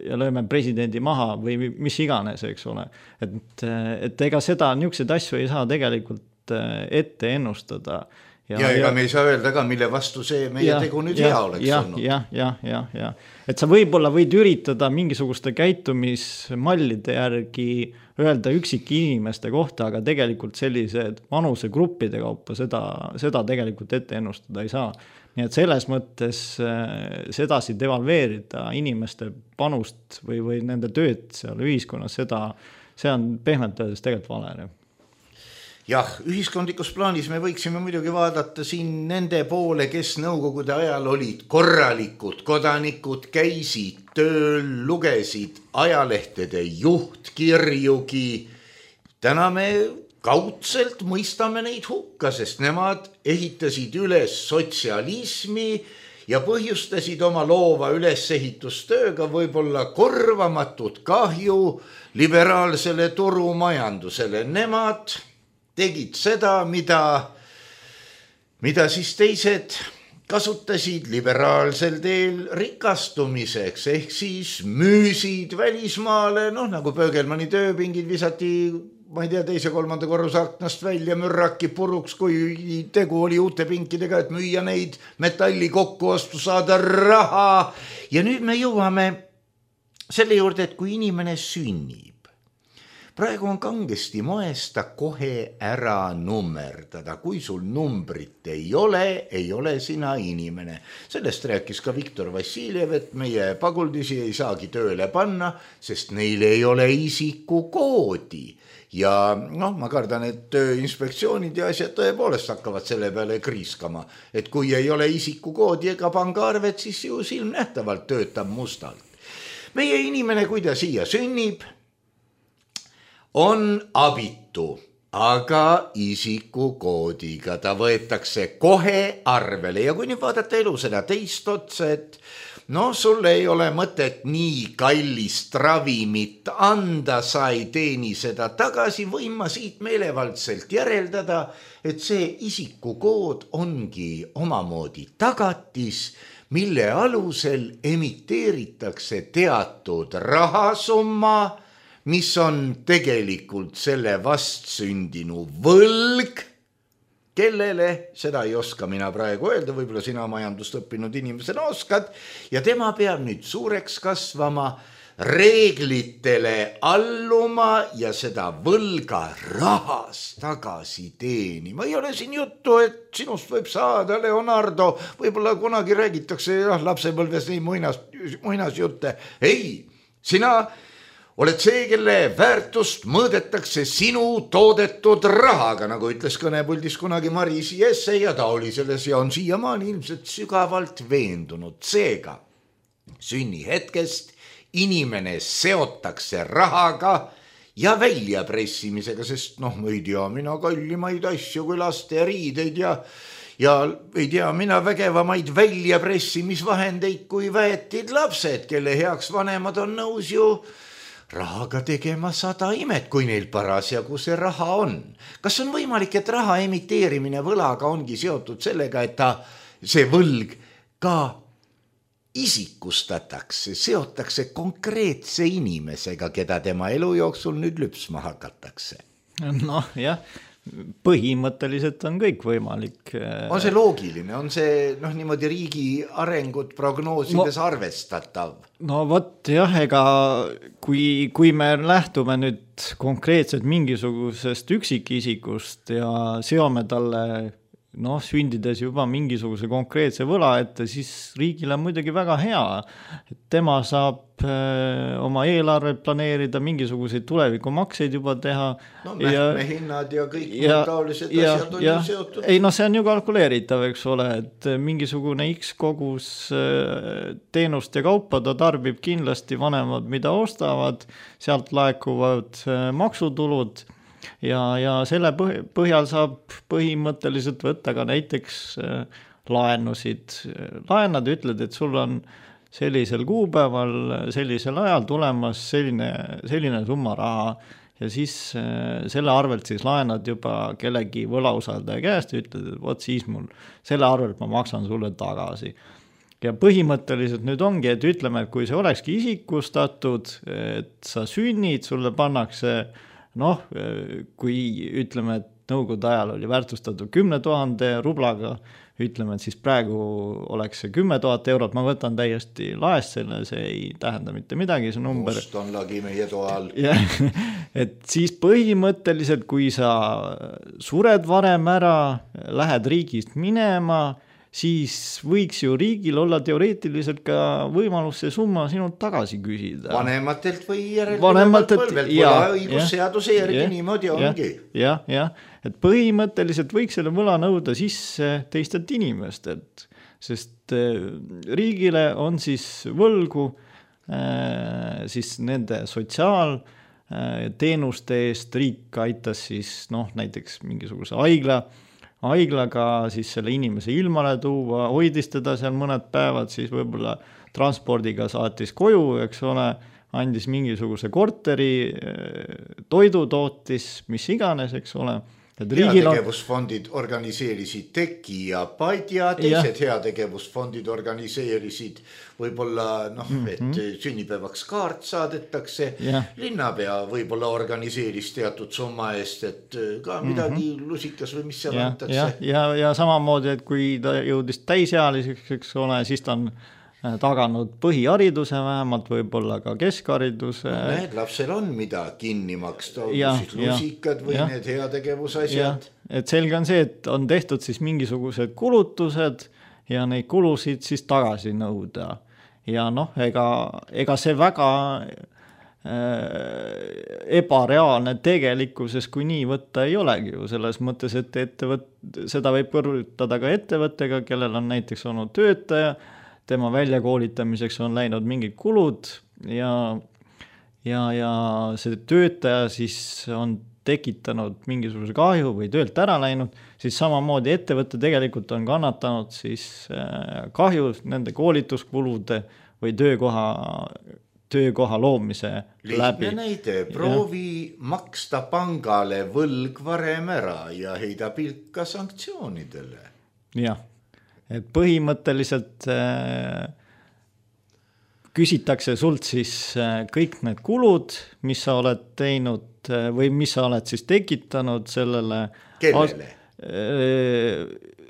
ja lööme presidendi maha või mis iganes, eks ole. Et, et ega seda niisuguseid asju ei saa tegelikult ette ennustada. Ja, ja ega ja, me ei saa öelda ka, mille vastu see meie ja, tegu nüüd ja, hea oleks ja, olnud. Ja, ja, ja, ja. Et sa võib-olla võid üritada mingisuguste käitumismallide järgi öelda üksik inimeste kohta, aga tegelikult sellised vanusegruppide kaupa seda, seda tegelikult ette ennustada ei saa. Nii et selles mõttes sedasi devalveerida inimeste panust või, või nende tööd seal ühiskonnas, seda, see on pehmelt öeldes tegelikult vale. Jah, ühiskondlikus plaanis me võiksime muidugi vaadata siin nende poole, kes nõukogude ajal olid korralikud kodanikud, käisid tööl, lugesid ajalehtede juhtkirjugi. Täna me kaudselt mõistame neid hukka, sest nemad ehitasid üles sotsialismi ja põhjustasid oma loova ülesehitustööga võib-olla korvamatut kahju liberaalsele turumajandusele. Nemad tegid seda, mida, mida siis teised kasutasid liberaalsel teel rikastumiseks, ehk siis müüsid välismaale, noh nagu Pöögelmanni tööpingid visati, ma ei tea, teise kolmanda korruse aknast välja, mürraki puruks, kui tegu oli uute pinkidega, et müüa neid metalli kokku ostu, saada raha. Ja nüüd me jõuame selle juurde, et kui inimene sünnib, praegu on kangesti moesta kohe ära nummerdada. Kui sul numbrit ei ole, ei ole sina inimene. Sellest rääkis ka Viktor Vassiljev, et meie paguldisi ei saagi tööle panna, sest neil ei ole isikukoodi. Ja noh, ma kardan, et tööinspektsioonid ja asjad tõepoolest hakkavad selle peale kriiskama. Et kui ei ole isikukoodi ega pangaarvet, siis ju silmnähtavalt töötab mustalt. Meie inimene, kui ta siia sünnib, on abitu, aga isikukoodiga ta võetakse kohe arvele. Ja kui nüüd vaadata elu seda teist otsa, et no sul ei ole mõtet nii kallist ravimit anda, sa ei teeni seda tagasi, võin ma siit meelevaldselt järeldada, et see isikukood ongi omamoodi tagatis, mille alusel emiteeritakse teatud rahasumma, mis on tegelikult selle vastsündinu võlg, kellele, seda ei oska mina praegu öelda, võib-olla sina majandust õppinud inimesena oskad ja tema peab nüüd suureks kasvama, reeglitele alluma ja seda võlga rahas tagasi teenima. Ei ole siin juttu, et sinust võib saada Leonardo, võib-olla kunagi räägitakse jah, lapsepõlves nii muinas, muinasjutte. Ei, sina oled see, kelle väärtust mõõdetakse sinu toodetud rahaga, nagu ütles kõnepuldis kunagi Maris Jesse ja ta oli selles ja on siiamaani ilmselt sügavalt veendunud. Seega, sünni hetkest inimene seotakse rahaga ja väljapressimisega, sest noh, ei tea mina kallimaid asju kui laste riideid ja, ja ei tea mina vägevamaid väljapressimisvahendeid kui väetid lapsed, kelle heaks vanemad on nõus ju rahaga tegema sada imet, kui neil parasjagu see raha on. Kas on võimalik, et raha emiteerimine võlaga ongi seotud sellega, et ta, see võlg ka isikustatakse, seotakse konkreetse inimesega, keda tema elu jooksul nüüd lüpsma hakatakse? Noh, jah, põhimõtteliselt on kõik võimalik. On see loogiline, on see noh, niimoodi riigi arengut prognoosides no, arvestatav? No vot jah, ega kui, kui me lähtume nüüd konkreetselt mingisugusest üksikisikust ja seome talle noh, sündides juba mingisuguse konkreetse võla ette, siis riigile on muidugi väga hea, et tema saab öö, oma eelarvet planeerida, mingisuguseid tulevikumakseid juba teha. No mähkmehinnad ja, ja kõik ja, taolised ja, asjad on ja, ju seotud. Ei, no see on ju kalkuleeritav, eks ole, et mingisugune X kogus teenust ja kaupa ta tarbib kindlasti vanemad, mida ostavad, sealt laekuvad maksutulud. Ja, ja selle põhjal saab põhimõtteliselt võtta ka näiteks laenusid. Laenad ütled, et sul on sellisel kuupäeval, sellisel ajal tulemas selline, selline summa raha ja siis selle arvelt siis laenad juba kellegi võlausaldaja käest ja ütled, et võt siis mul selle arvelt ma maksan sulle tagasi. Ja põhimõtteliselt nüüd ongi, et ütleme, et kui see olekski isikustatud, et sa sünnid, sulle pannakse noh, kui ütleme, et nõukogude ajal oli väärtustatud kümne tuhande rublaga, ütleme, et siis praegu oleks see kümme tuhat eurot, ma võtan täiesti laest selle, see ei tähenda mitte midagi, see number. Must on lagi meie toal. Et siis põhimõtteliselt, kui sa sured varem ära, lähed riigist minema, siis võiks ju riigil olla teoreetiliselt ka võimalus see summa sinult tagasi küsida. Vanematelt või järelpidevalt põlvelt, võla õigusseaduse järgi niimoodi ongi. Jah, jah, et põhimõtteliselt võiks selle võla nõuda sisse teistelt inimestelt, sest riigile on siis võlgu siis nende sotsiaalteenuste eest, riik aitas siis noh, näiteks mingisuguse haigla, haiglaga siis selle inimese ilmale tuua, hoidis teda seal mõned päevad, siis võib-olla transpordiga saatis koju, eks ole, andis mingisuguse korteri, toidu tootis, mis iganes, eks ole. Heategevusfondid organiseerisid Teki ja Padja, teised ja. Heategevusfondid organiseerisid võib-olla, noh, et mm-hmm. sünnipäevaks kaart saadetakse, ja. Linnapea võib-olla organiseeris teatud summa eest, et ka midagi mm-hmm. lusikas või mis seal ja, antakse. Ja, ja, ja samamoodi, et kui ta jõudis täisealiseks, eks ole, siis ta on taganud põhihariduse vähemalt, võib-olla ka keskhariduse. No, need lapsel on mida kinni maksta, siis lusikad või ja, need heategevusasjad. Et selge on see, et on tehtud siis mingisugused kulutused ja neid kulusid siis tagasi nõuda. Ja noh, ega, ega see väga äh, ebareaalne tegelikkuses, kui nii võtta ei olegi ju selles mõttes, et ettevõt, seda võib kõrvutada ka ettevõttega, kellel on näiteks olnud töötaja, tema väljakoolitamiseks on läinud mingid kulud ja, ja, ja see töötaja siis on tekitanud mingisuguse kahju või töölt ära läinud, siis samamoodi ettevõtte tegelikult on kannatanud siis kahju nende koolituskulude või töökoha, töökoha loomise Lihtne läbi. Näide, proovi ja. Maksta pangale võlg varem ära ja heida pilka sanktsioonidele. Jah. Et põhimõtteliselt äh, küsitakse sult siis äh, kõik need kulud, mis sa oled teinud äh, või mis sa oled siis tekitanud sellele. Kellele?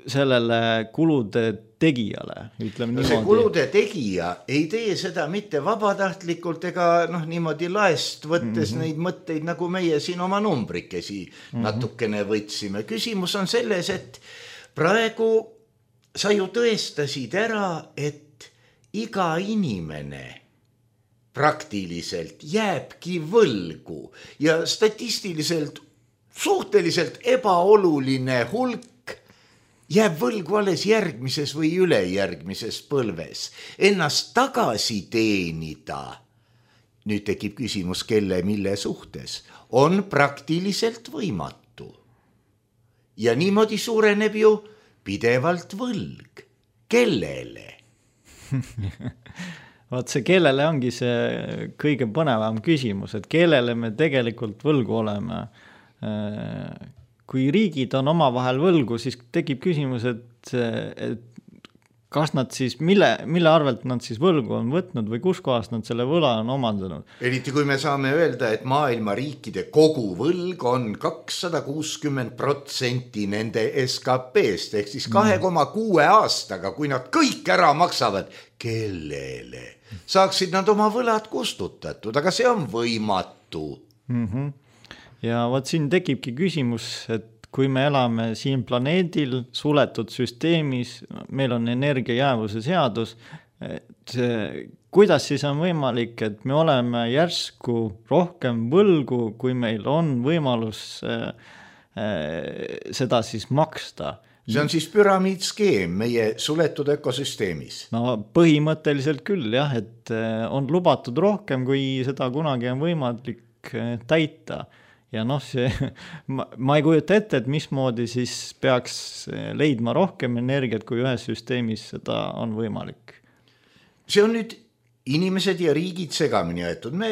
sellele kulude tegijale, ütleme no niimoodi. See kulude tegija ei tee seda mitte vabatahtlikult ega noh, niimoodi laest võttes mm-hmm. neid mõtteid, nagu meie siin oma numbrikesi mm-hmm. natukene võtsime. Küsimus on selles, et praegu sa ju tõestasid ära, et iga inimene praktiliselt jääbki võlgu ja statistiliselt suhteliselt ebaoluline hulk jääb võlgu alles järgmises või ülejärgmises põlves. Ennast tagasi teenida, nüüd tekib küsimus, kelle mille suhtes, on praktiliselt võimatu. Ja niimoodi suureneb ju pidevalt võlg. Kellele? Vaat see kellele ongi see kõige põnevam küsimus, et kellele me tegelikult võlgu oleme. Kui riigid on oma vahel võlgu, siis tekib küsimus, et, et kas nad siis, mille, mille arvelt nad siis võlgu on võtnud või kus kohast nad selle võla on omandanud. Eriti kui me saame öelda, et maailma riikide kogu võlg on kakssada kuuskümmend protsenti nende S K P-st, ehk siis kahe koma kuue aastaga, kui nad kõik ära maksavad, kellele saaksid nad oma võlad kustutatud, aga see on võimatu. Mm-hmm. Ja võt siin tekibki küsimus, et kui me elame siin planeedil suletud süsteemis, meil on energiajäävuse seadus, et kuidas siis on võimalik, et me oleme järsku rohkem võlgu, kui meil on võimalus seda siis maksta? See on siis püramiidskeem meie suletud ökosüsteemis. No põhimõtteliselt küll jah, et on lubatud rohkem, kui seda kunagi on võimalik täita. Ja noh, see, ma, ma ei kujuta ette, et mismoodi siis peaks leidma rohkem energiat, kui ühes süsteemis seda on võimalik. See on nüüd inimesed ja riigid segamini jäetud. Me,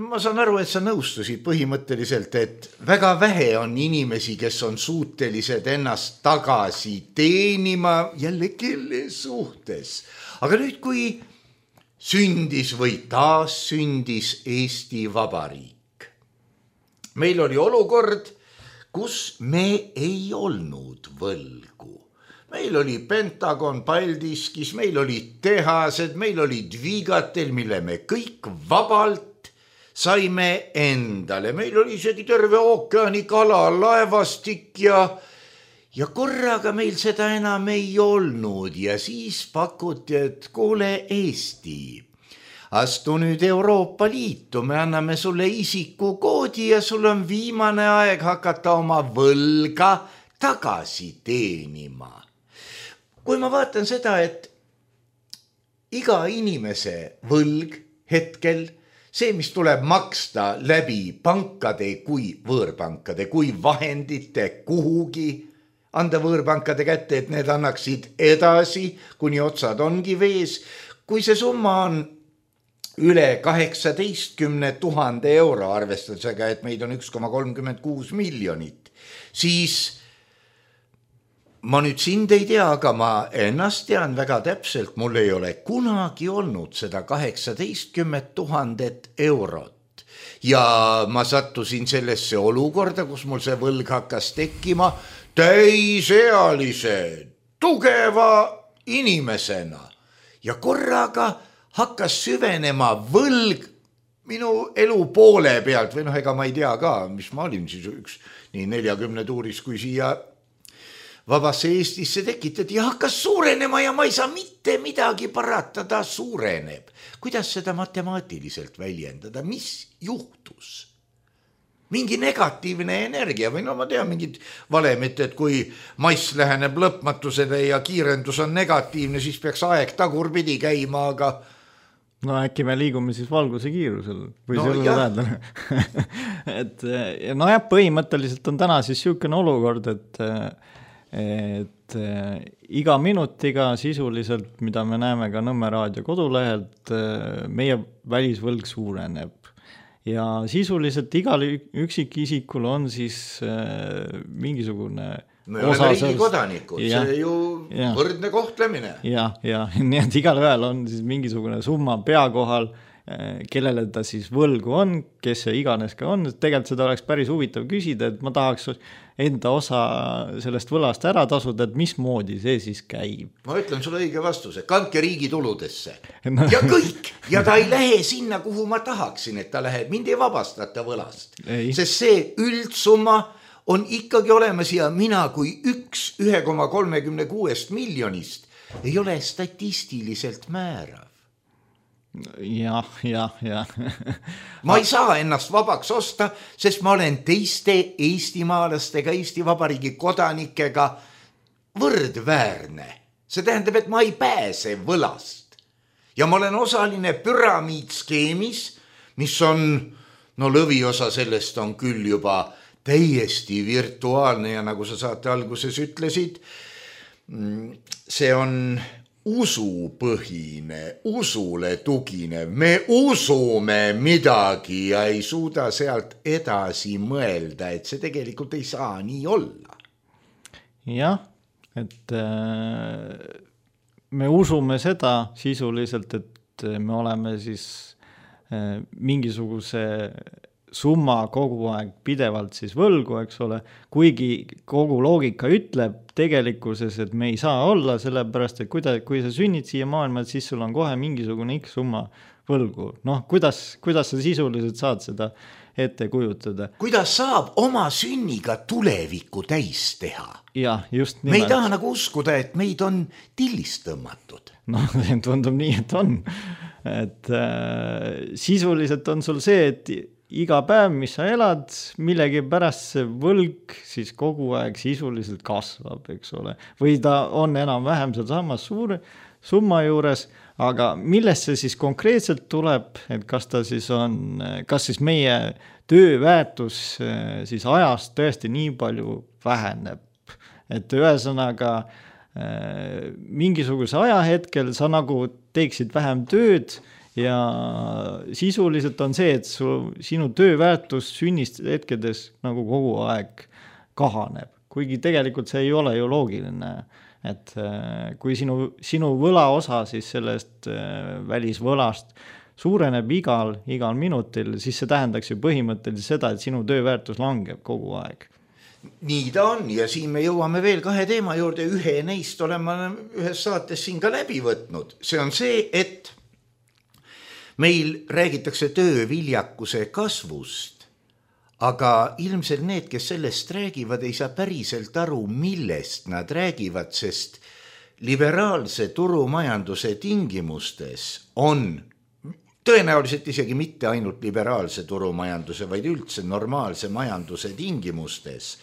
ma saan aru, et sa nõustusid põhimõtteliselt, et väga vähe on inimesi, kes on suutelised ennast tagasi teenima jälle kelle suhtes. Aga nüüd, kui sündis või taas sündis Eesti Vabariik, meil oli olukord, kus me ei olnud võlgu. Meil oli Pentagon Paldiskis, meil olid tehased, meil olid Viigatel, mille me kõik vabalt saime endale. Meil oli isegi terve ookeani kala, laevastik ja, ja korraga meil seda enam ei olnud. Ja siis pakuti, et kuule Eesti, astu nüüd Euroopa Liitu, me anname sulle isikukoodi ja sul on viimane aeg hakata oma võlga tagasi teenima. Kui ma vaatan seda, et iga inimese võlg hetkel, see, mis tuleb maksta läbi pankade kui võõrpankade, kui vahendite kuhugi, anda võõrpankade kätte, et need annaksid edasi, kuni otsad ongi vees, kui see summa on üle kaheksateistkümne tuhande euro arvestusega, et meid on üks koma kolmkümmend kuus miljonit, siis ma nüüd sind ei tea, aga ma ennast tean väga täpselt, mul ei ole kunagi olnud seda kaheksateistkümmet tuhandet eurot. Ja ma sattusin sellesse olukorda, kus mul see võlg hakkas tekkima täisealise, tugeva inimesena ja korraga hakkas süvenema võlg minu elu poole pealt või noh, ega ma ei tea ka, mis ma olin siis üks nii neljakümne tuuris, kui siia vabasse Eestisse tekitati ja hakkas suurenema ja ma ei saa mitte midagi parata, ta suureneb. Kuidas seda matemaatiliselt väljendada? Mis juhtus? Mingi negatiivne energia või no ma tean mingid valemit, et kui mass läheneb lõpmatusele ja kiirendus on negatiivne, siis peaks aeg tagurpidi käima, aga no äkki me liigume siis valguse kiirusel või no, selle tähendab. et no jah, põhimõtteliselt on täna siis niisugune olukord, et, et iga minutiga sisuliselt, mida me näeme ka Nõmme raadio kodulehelt, meie välisvõlg suureneb. Ja sisuliselt igal üksikisikul on siis mingisugune me oleme riigi kodanikud, see ju ja, võrdne kohtlemine. Ja, ja nii et igal ühel on siis mingisugune summa pea kohal kellele ta siis võlgu on, kes see iganes ka on, tegelikult seda oleks päris huvitav küsida, et ma tahaks enda osa sellest võlast ära tasuda, et mismoodi see siis käib. Ma ütlen sulle õige vastuse, kandke riigi tuludesse no. ja kõik, ja ta ei lähe sinna, kuhu ma tahaksin, et ta läheb, mind ei vabastata võlast, ei. Sest see üldsumma on ikkagi olemas ja mina kui üks üks koma kolmekümne kuuest miljonist ei ole statistiliselt määrav. jah, jah, jah. ma ei saa ennast vabaks osta, sest ma olen teiste eestimaalastega, Eesti Vabariigi kodanikega võrdväärne. See tähendab, et ma ei pääse võlast. Ja ma olen osaline püramiidskeemis, mis on, no lõviosa sellest on küll juba täiesti virtuaalne ja nagu sa saate alguses ütlesid, see on usupõhine, usule tuginev, me usume midagi ja ei suuda sealt edasi mõelda, et see tegelikult ei saa nii olla. jah, et äh, me usume seda sisuliselt, et me oleme siis äh, mingisuguse summa kogu aeg pidevalt siis võlgu, eks ole, kuigi kogu loogika ütleb tegelikkuses, et me ei saa olla, sellepärast, et kui, ta, kui sa sünnid siia maailma, siis sul on kohe mingisugune X summa võlgu. Noh, kuidas, kuidas sa sisuliselt saad seda ette kujutada? Kuidas saab oma sünniga tulevikku täis teha? Jah, just nimelt. Me ei taha nagu uskuda, et meid on tillist tõmmatud. No, tundub nii, et on. Et äh, sisuliselt on sul see, et iga päev, mis sa elad, millegi pärast see võlg siis kogu aeg sisuliselt kasvab, eks ole. Või ta on enam-vähem seal samas suure summa juures, aga millest see siis konkreetselt tuleb, et kas ta siis on, kas siis meie tööväärtus siis ajast tõesti nii palju väheneb, et ühesõnaga mingisuguse ajahetkel sa nagu teeksid vähem tööd ja sisuliselt on see, et su, sinu tööväärtus sünnist hetkedes nagu kogu aeg kahaneb, kuigi tegelikult see ei ole ju loogiline, et kui sinu, sinu võlaosa siis sellest välisvõlast suureneb igal, igal minutil, siis see tähendaks ju põhimõtteliselt seda, et sinu tööväärtus langeb kogu aeg. Nii ta on ja siin me jõuame veel kahe teema juurde, ühe neist olema ühes saates siin ka läbi võtnud. See on see, et meil räägitakse tööviljakuse kasvust, aga ilmselt need, kes sellest räägivad, ei saa päriselt aru, millest nad räägivad, sest liberaalse turumajanduse tingimustes on tõenäoliselt isegi mitte ainult liberaalse turumajanduse, vaid üldse normaalse majanduse tingimustes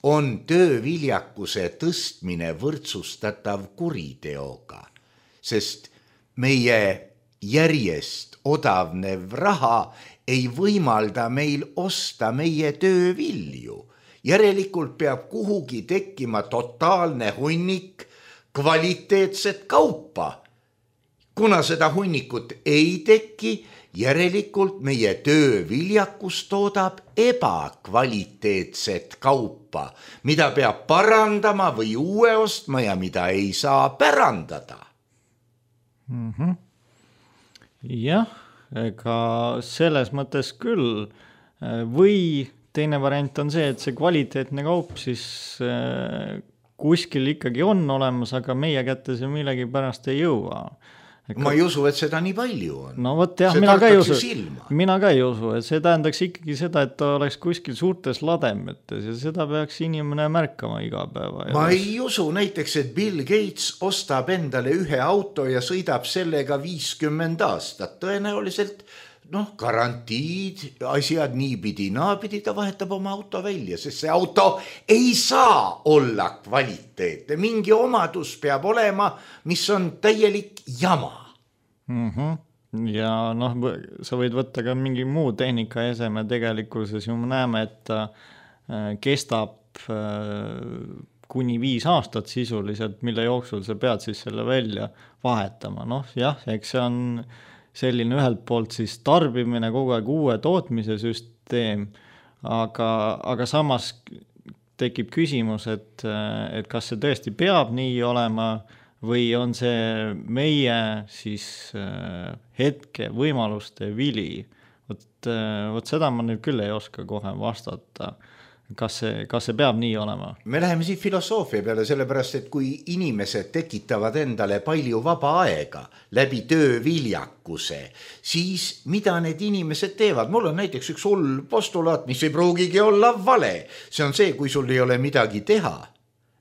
on tööviljakuse tõstmine võrdsustatav kuriteoga, sest meie järjest odavnev raha ei võimalda meil osta meie töövilju. Järelikult peab kuhugi tekkima totaalne hunnik kvaliteetset kaupa. Kuna seda hunnikut ei teki, järelikult meie tööviljakus toodab ebakvaliteetset kaupa, mida peab parandama või uue ostma ja mida ei saa pärandada. Mhm. Jah, ega selles mõttes küll. Või teine variant on see, et see kvaliteetne kaup siis kuskil ikkagi on olemas, aga meie kätte see millegi pärast ei jõua. Ma ei usu, et seda nii palju on. No võt, jah, mina ka, usu, mina ka ei usu, et see tähendaks ikkagi seda, et ta oleks kuskil suurtes lademetes ja seda peaks inimene märkama iga päeva. Ma ei usu näiteks, et Bill Gates ostab endale ühe auto ja sõidab sellega viiskümmend aastat. Tõenäoliselt noh, garantiid, asjad niipidi, naapidi, ta vahetab oma auto välja, sest see auto ei saa olla kvaliteetne. Mingi omadus peab olema, mis on täielik jama. Mm-hmm. Ja noh, sa võid võtta ka mingi muu tehnika eseme tegelikkuses ju me näeme, et ta kestab kuni viis aastat sisuliselt, mille jooksul sa pead siis selle välja vahetama. Noh, jah, eks see on selline ühelt poolt siis tarbimine kogu aeg uue tootmise süsteem, aga, aga samas tekib küsimus, et, et kas see tõesti peab nii olema või on see meie siis hetke võimaluste vili. Vot, vot seda ma nüüd küll ei oska kohe vastata. Kas see, kas see peab nii olema? Me läheme siit filosoofia peale, sellepärast, et kui inimesed tekitavad endale palju vaba aega läbi tööviljakuse, siis mida need inimesed teevad? Mul on näiteks üks hull postulaat, mis ei pruugigi olla vale. See on see, kui sul ei ole midagi teha.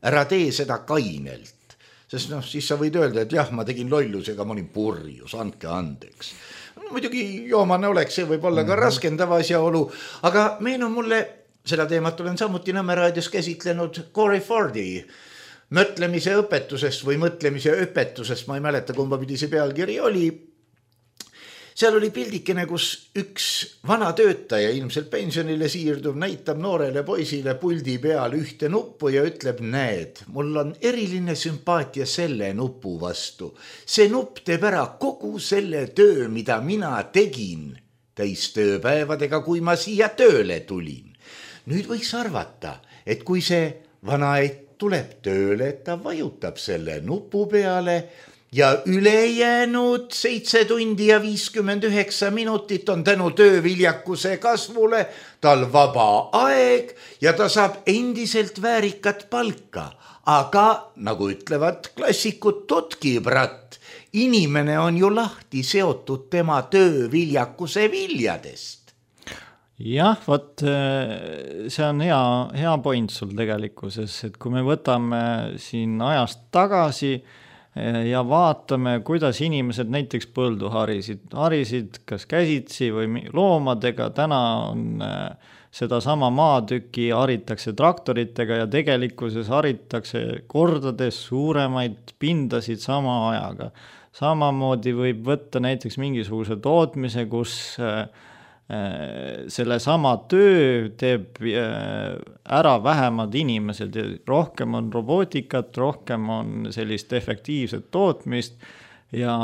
Ära tee seda kainelt. Sest noh, siis sa võid öelda, et jah, ma tegin lollusega, ma olin purjus, andke andeks. Muidugi joomane oleks, see võib olla ka raskendav asjaolu, aga meenub mulle seda teemat olen samuti Nõmme raadios käsitlenud Corey Fordi mõtlemise õpetusest või mõtlemise õpetusest, ma ei mäleta, kumba pidi see pealkiri oli. Seal oli pildikene, kus üks vana töötaja, ilmselt pensionile siirduv, näitab noorele poisile puldi peal ühte nuppu ja ütleb, näed, mul on eriline sümpaatia selle nupu vastu. See nupp teeb ära kogu selle töö, mida mina tegin täis tööpäevadega, kui ma siia tööle tulin. Nüüd võiks arvata, et kui see vanaeit tuleb tööle, et ta vajutab selle nupu peale ja ülejäänud seitse tundi ja viiskümmend üheksa minutit on tänu tööviljakuse kasvule tal vaba aeg ja ta saab endiselt väärikat palka. Aga nagu ütlevad klassikud Totkibratt, inimene on ju lahti seotud tema tööviljakuse viljadest. Jah, võt, see on hea, hea point sul tegelikkuses, et kui me võtame siin ajast tagasi ja vaatame, kuidas inimesed näiteks põldu harisid, harisid kas käsitsi või loomadega, täna on seda sama maatüki haritakse traktoritega ja tegelikkuses haritakse kordades suuremaid pindasid sama ajaga. Samamoodi võib võtta näiteks mingisuguse tootmise, kus selle sama töö teeb ära vähemad inimesed ja rohkem on robootikat, rohkem on sellist efektiivset tootmist ja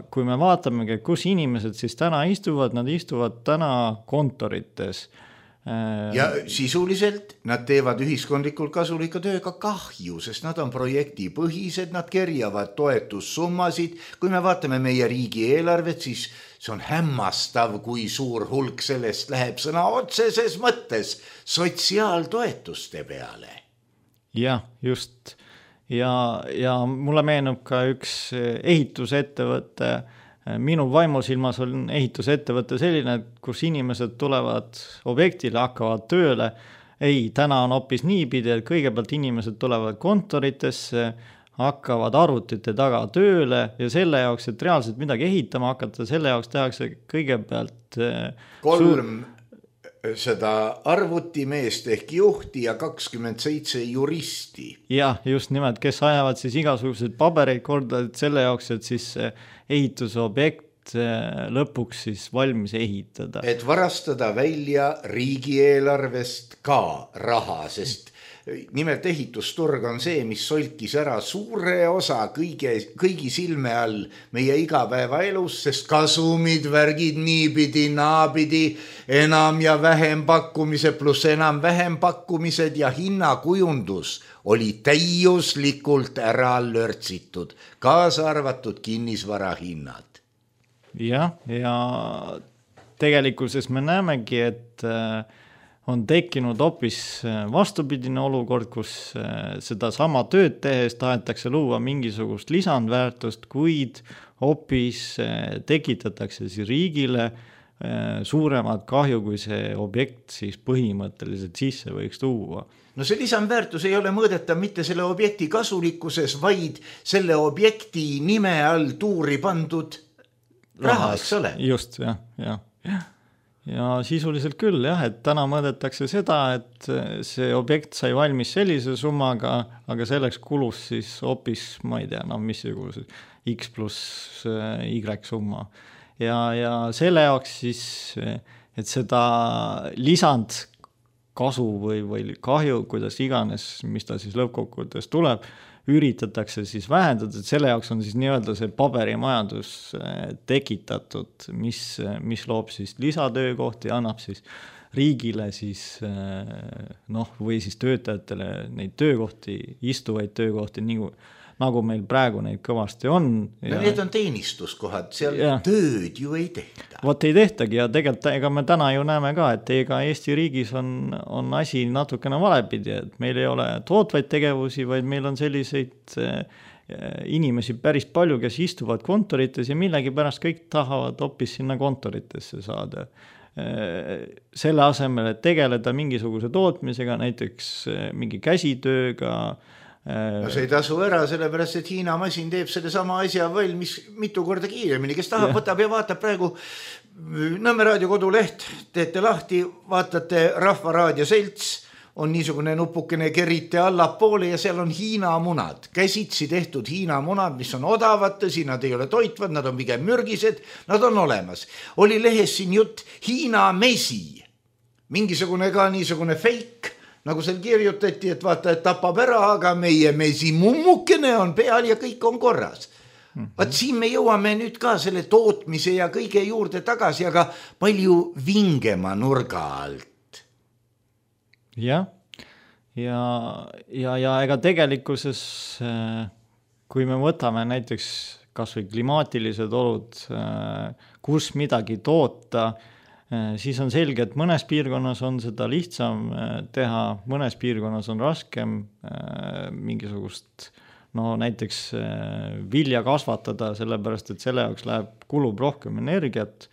kui me vaatamegi, kus inimesed siis täna istuvad, nad istuvad täna kontorites. Ja sisuliselt nad teevad ühiskondlikult kasulika tööga kahju, sest nad on projektipõhised, nad kerjavad toetussummasid. Kui me vaatame meie riigi eelarvet, siis see on hämmastav, kui suur hulk sellest läheb sõna otseses mõttes sotsiaaltoetuste peale. Jah, just. Ja, ja mulle meenub ka üks ehitusettevõte. Minu vaimusilmas on ehitusettevõte selline, kus inimesed tulevad objektile, hakkavad tööle. Ei, täna on hoopis niipidi, et kõigepealt inimesed tulevad kontoritesse, hakkavad arvutite taga tööle ja selle jaoks, et reaalselt midagi ehitama hakata, selle jaoks tehakse kõigepealt kolm suur... seda arvutimeest ehk juhti ja kakskümmend seitse juristi. Jah, just nimelt, kes ajavad siis igasuguseid pabereid korda selle jaoks, et siis ehitusobjekt lõpuks siis valmis ehitada. Et varastada välja riigieelarvest ka raha, sest nimelt ehitusturg on see, mis solkis ära suure osa kõige, kõigi silme all meie igapäeva elus, sest kasumid, värgid niipidi, naapidi, enam ja vähem pakkumise pluss enam vähem pakkumised ja hinnakujundus oli täiuslikult ära lörtsitud, kaasa arvatud kinnisvara hinnad. Jah, ja tegelikkuses me näemegi, et on tekkinud hoopis vastupidine olukord, kus seda sama tööd tehes tahetakse luua mingisugust lisandväärtust, kuid hoopis tekitatakse siis riigile suuremad kahju, kui see objekt siis põhimõtteliselt sisse võiks tuua. No see lisandväärtus ei ole mõõdetav mitte selle objekti kasulikkuses, vaid selle objekti nime all tuuri pandud raha, eks ole? Just, jah, jah, jah. Ja sisuliselt küll, jah, et täna mõõdetakse seda, et see objekt sai valmis sellise summaga, aga selleks kulus siis hoopis, ma ei tea, no missuguse X pluss Y summa. Ja, ja selle jaoks siis, et seda lisand kasu või, või kahju, kuidas iganes, mis ta siis lõppkokkuvõttes tuleb, üritatakse siis vähendada, et selle jaoks on siis nii-öelda see paberimajandus tekitatud, mis, mis loob siis lisatöökohti, annab siis riigile siis noh, või siis töötajatele neid töökohti, istuvaid töökohti, nagu, nagu meil praegu neid kõvasti on. Ja... No need on teenistuskohad, seal ja. Tööd ju ei tehta. Vot ei tehtagi ja tegelikult ega me täna ju näeme ka, et ega Eesti riigis on, on asi natukene valepidi, et meil ei ole tootvaid tegevusi, vaid meil on selliseid inimesi päris palju, kes istuvad kontorites ja millegi pärast kõik tahavad hoopis sinna kontoritesse saada. Selle asemel, et tegeleda mingisuguse tootmisega, näiteks mingi käsitööga. No see ei tasu ära, sellepärast, et Hiina masin teeb selle sama asja valmis mitu korda kiiremini, kes tahab, võtab ja vaatab praegu Nõmme raadio koduleht, teete lahti, vaatate Rahva Raadio Selts, on niisugune nupukene kerite allapoole ja seal on Hiina munad, käsitsi tehtud Hiina munad, mis on odavad, tõsi, nad ei ole toitvad, nad on pigem mürgised, nad on olemas. Oli lehes siin jutt Hiina mesi, mingisugune ka niisugune fake, nagu seal kirjutati, et vaata, et tapab ära, aga meie mesi mummukene on peal ja kõik on korras. Mm-hmm. Vaat siin me jõuame nüüd ka selle tootmise ja kõige juurde tagasi, aga palju vingema nurga alt. Jah, ja, ja, ja ega tegelikkuses, kui me võtame näiteks kas või klimaatilised olud, kus midagi toota, siis on selge, et mõnes piirkonnas on seda lihtsam teha, mõnes piirkonnas on raskem mingisugust, no näiteks vilja kasvatada, sellepärast, et selle jaoks läheb, kulub rohkem energiat,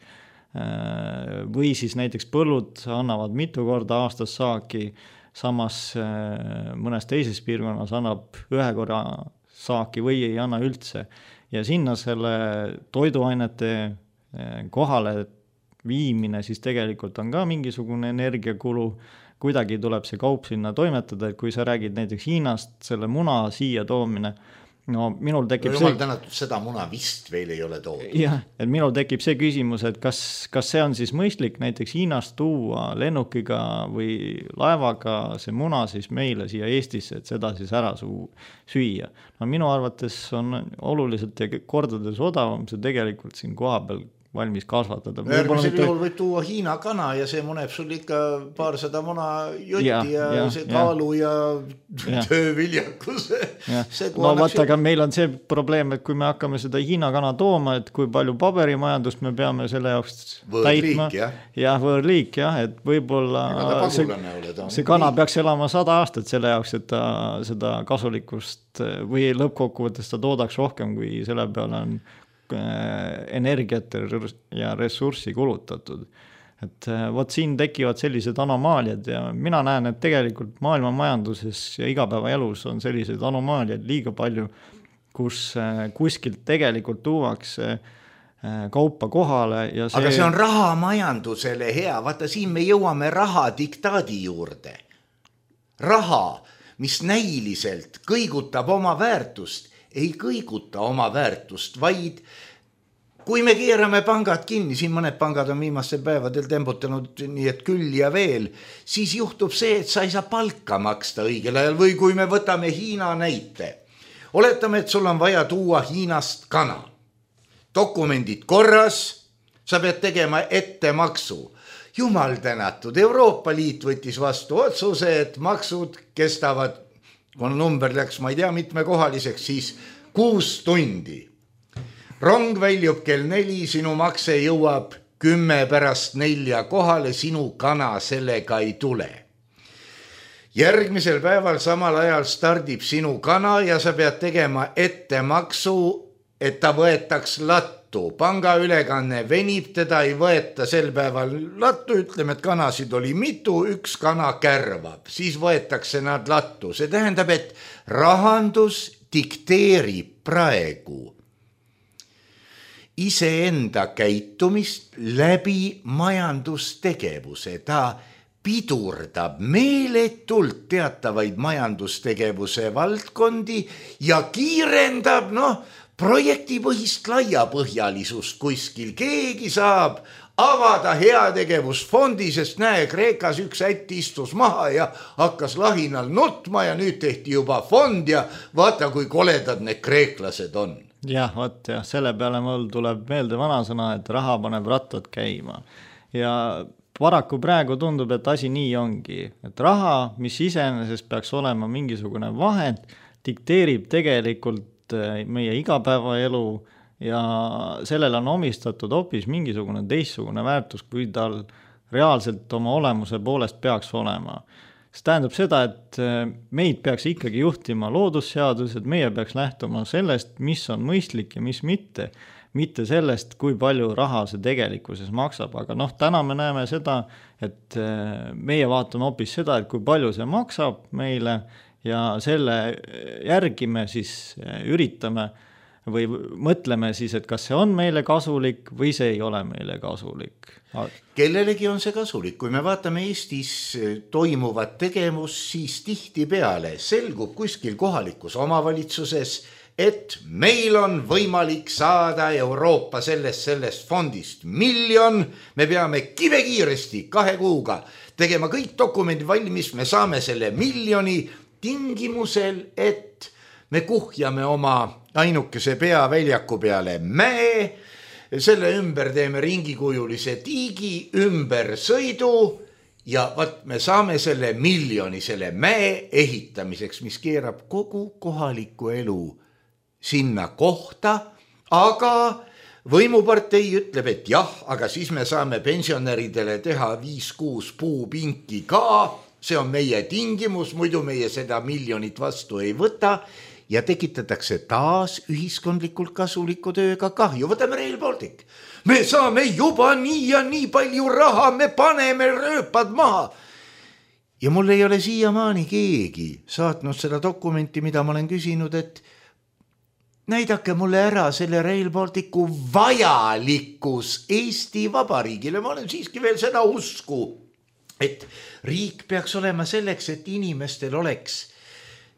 või siis näiteks põllud annavad mitu korda aastas saaki, samas mõnes teises piirkonnas annab ühe korra saaki või ei anna üldse. Ja sinna selle toiduainete kohale viimine siis tegelikult on ka mingisugune energiakulu, kuidagi tuleb see kaup sinna toimetada, et kui sa räägid näiteks Hiinast, selle muna siia toomine, no minul tekib no, jumal tänatud, seda muna vist veel ei ole toodud. Jah, et minul tekib see küsimus, et kas, kas see on siis mõistlik näiteks Hiinast tuua lennukiga või laevaga see muna siis meile siia Eestisse, et seda siis ära suu, süüa. No minu arvates on oluliselt ja kordades odavam see tegelikult siin koha peal valmis kasvatada. Järgmisel mitte... juhul võib tuua Hiina kana ja see muneb sul ikka paarsada muna jutti ja, ja, ja see kaalu ja, ja tööviljakuse. No vaata, aga meil on see probleem, et kui me hakkame seda Hiina kana tooma, et kui palju paberimajandust me peame selle jaoks võõrliik, täitma. Jah. Ja, võõrliik, jah, et võib-olla see, see kana peaks elama sada aastat selle jaoks, et ta seda kasulikust või lõppkokkuvõttes ta toodaks rohkem, kui selle peale on energiat ja ressurssi kulutatud. Et võt siin tekivad sellised anomaaliad ja mina näen, et tegelikult maailma majanduses ja igapäevaelus on sellised anomaaliad liiga palju, kus kuskilt tegelikult tuuakse kaupa kohale. Ja see... Aga see on rahamajandusele hea, vaata siin me jõuame raha diktaadi juurde. Raha, mis näiliselt kõigutab oma väärtust, ei kõiguta oma väärtust, vaid kui me keerame pangad kinni, siin mõned pangad on viimastel päevadel tembutanud nii, et küll ja veel, siis juhtub see, et sa ei saa palka maksta õigel ajal või kui me võtame Hiina näite. Oletame, et sul on vaja tuua Hiinast kana. Dokumendid korras, sa pead tegema ettemaksu. Jumal tänatud, Euroopa Liit võttis vastu otsuse, et maksud kestavad, kui number läks, ma ei tea, mitmekohaliseks, siis kuus tundi. Rong väljub kell neli, sinu makse jõuab kümme pärast nelja kohale, sinu kana sellega ei tule. Järgmisel päeval samal ajal stardib sinu kana ja sa pead tegema ettemaksu, et ta võetaks lattu. Panga ülekanne venib, teda ei võeta sel päeval lattu, ütleme, et kanasid oli mitu, üks kana kärvab, siis võetakse nad lattu. See tähendab, et rahandus dikteerib praegu iseenda käitumist läbi majandustegevuse. Ta pidurdab meeletult teatavaid majandustegevuse valdkondi ja kiirendab, noh, projektipõhist laiapõhjalisust kuskil. Keegi saab avada heategevusfondi, sest näe, Kreekas üks ätt istus maha ja hakkas lahinal nutma ja nüüd tehti juba fond ja vaata, kui koledad need kreeklased on. Jah, võt, jah, selle peale mul tuleb meelde vanasõna, et raha paneb rattad käima. Ja paraku praegu tundub, et asi nii ongi, et raha, mis iseenesest peaks olema mingisugune vahend, dikteerib tegelikult tegelikult meie igapäevaelu ja sellele on omistatud hoopis mingisugune teistsugune väärtus, kui tal reaalselt oma olemuse poolest peaks olema. See tähendab seda, et meid peaks ikkagi juhtima loodusseadused, meie peaks lähtuma sellest, mis on mõistlik ja mis mitte, mitte sellest, kui palju raha see tegelikkuses maksab. Aga noh, täna me näeme seda, et meie vaatame hoopis seda, et kui palju see maksab meile ja selle järgi me siis üritame või mõtleme siis, et kas see on meile kasulik või see ei ole meile kasulik. Kellelegi on see kasulik. Kui me vaatame Eestis toimuvat tegevus, siis tihti peale selgub kuskil kohalikus omavalitsuses, et meil on võimalik saada Euroopa sellest, sellest fondist miljon, me peame kive kiiresti kahe kuuga tegema kõik dokumendid valmis, me saame selle miljoni tingimusel, et me kuhjame oma ainukese peaväljaku peale mäe, selle ümber teeme ringikujulise tiigi, ümber sõidu ja vaat me saame selle miljoni selle mäe ehitamiseks, mis keerab kogu kohaliku elu sinna kohta, aga võimupartei ütleb, et jah, aga siis me saame pensionäridele teha viis kuus puupinki ka, see on meie tingimus, muidu meie seda miljonit vastu ei võta ja tekitatakse taas ühiskondlikult kasuliku tööga kahju. Võtame Rail Baltic. Me saame juba nii ja nii palju raha, me paneme rööpad maha. Ja mul ei ole siiamaani keegi saatnud seda dokumenti, mida ma olen küsinud, et näidake mulle ära selle Rail Balticu vajalikkus Eesti Vabariigile. Ma olen siiski veel seda usku, et riik peaks olema selleks, et inimestel oleks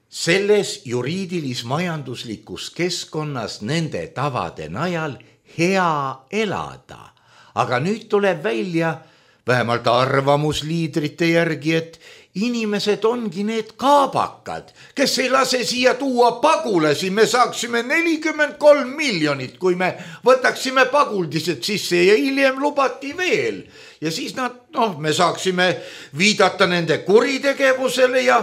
selles juriidilis-majanduslikus keskkonnas nende tavade najal hea elada. Aga nüüd tuleb välja vähemalt arvamusliidrite järgi, et inimesed ongi need kaabakad, kes ei lase siia tuua pagulasi. Me saaksime nelikümmend kolm miljonit, kui me võtaksime paguldised sisse ja hiljem lubati veel. Ja siis nad, noh, me saaksime viidata nende kuritegevusele ja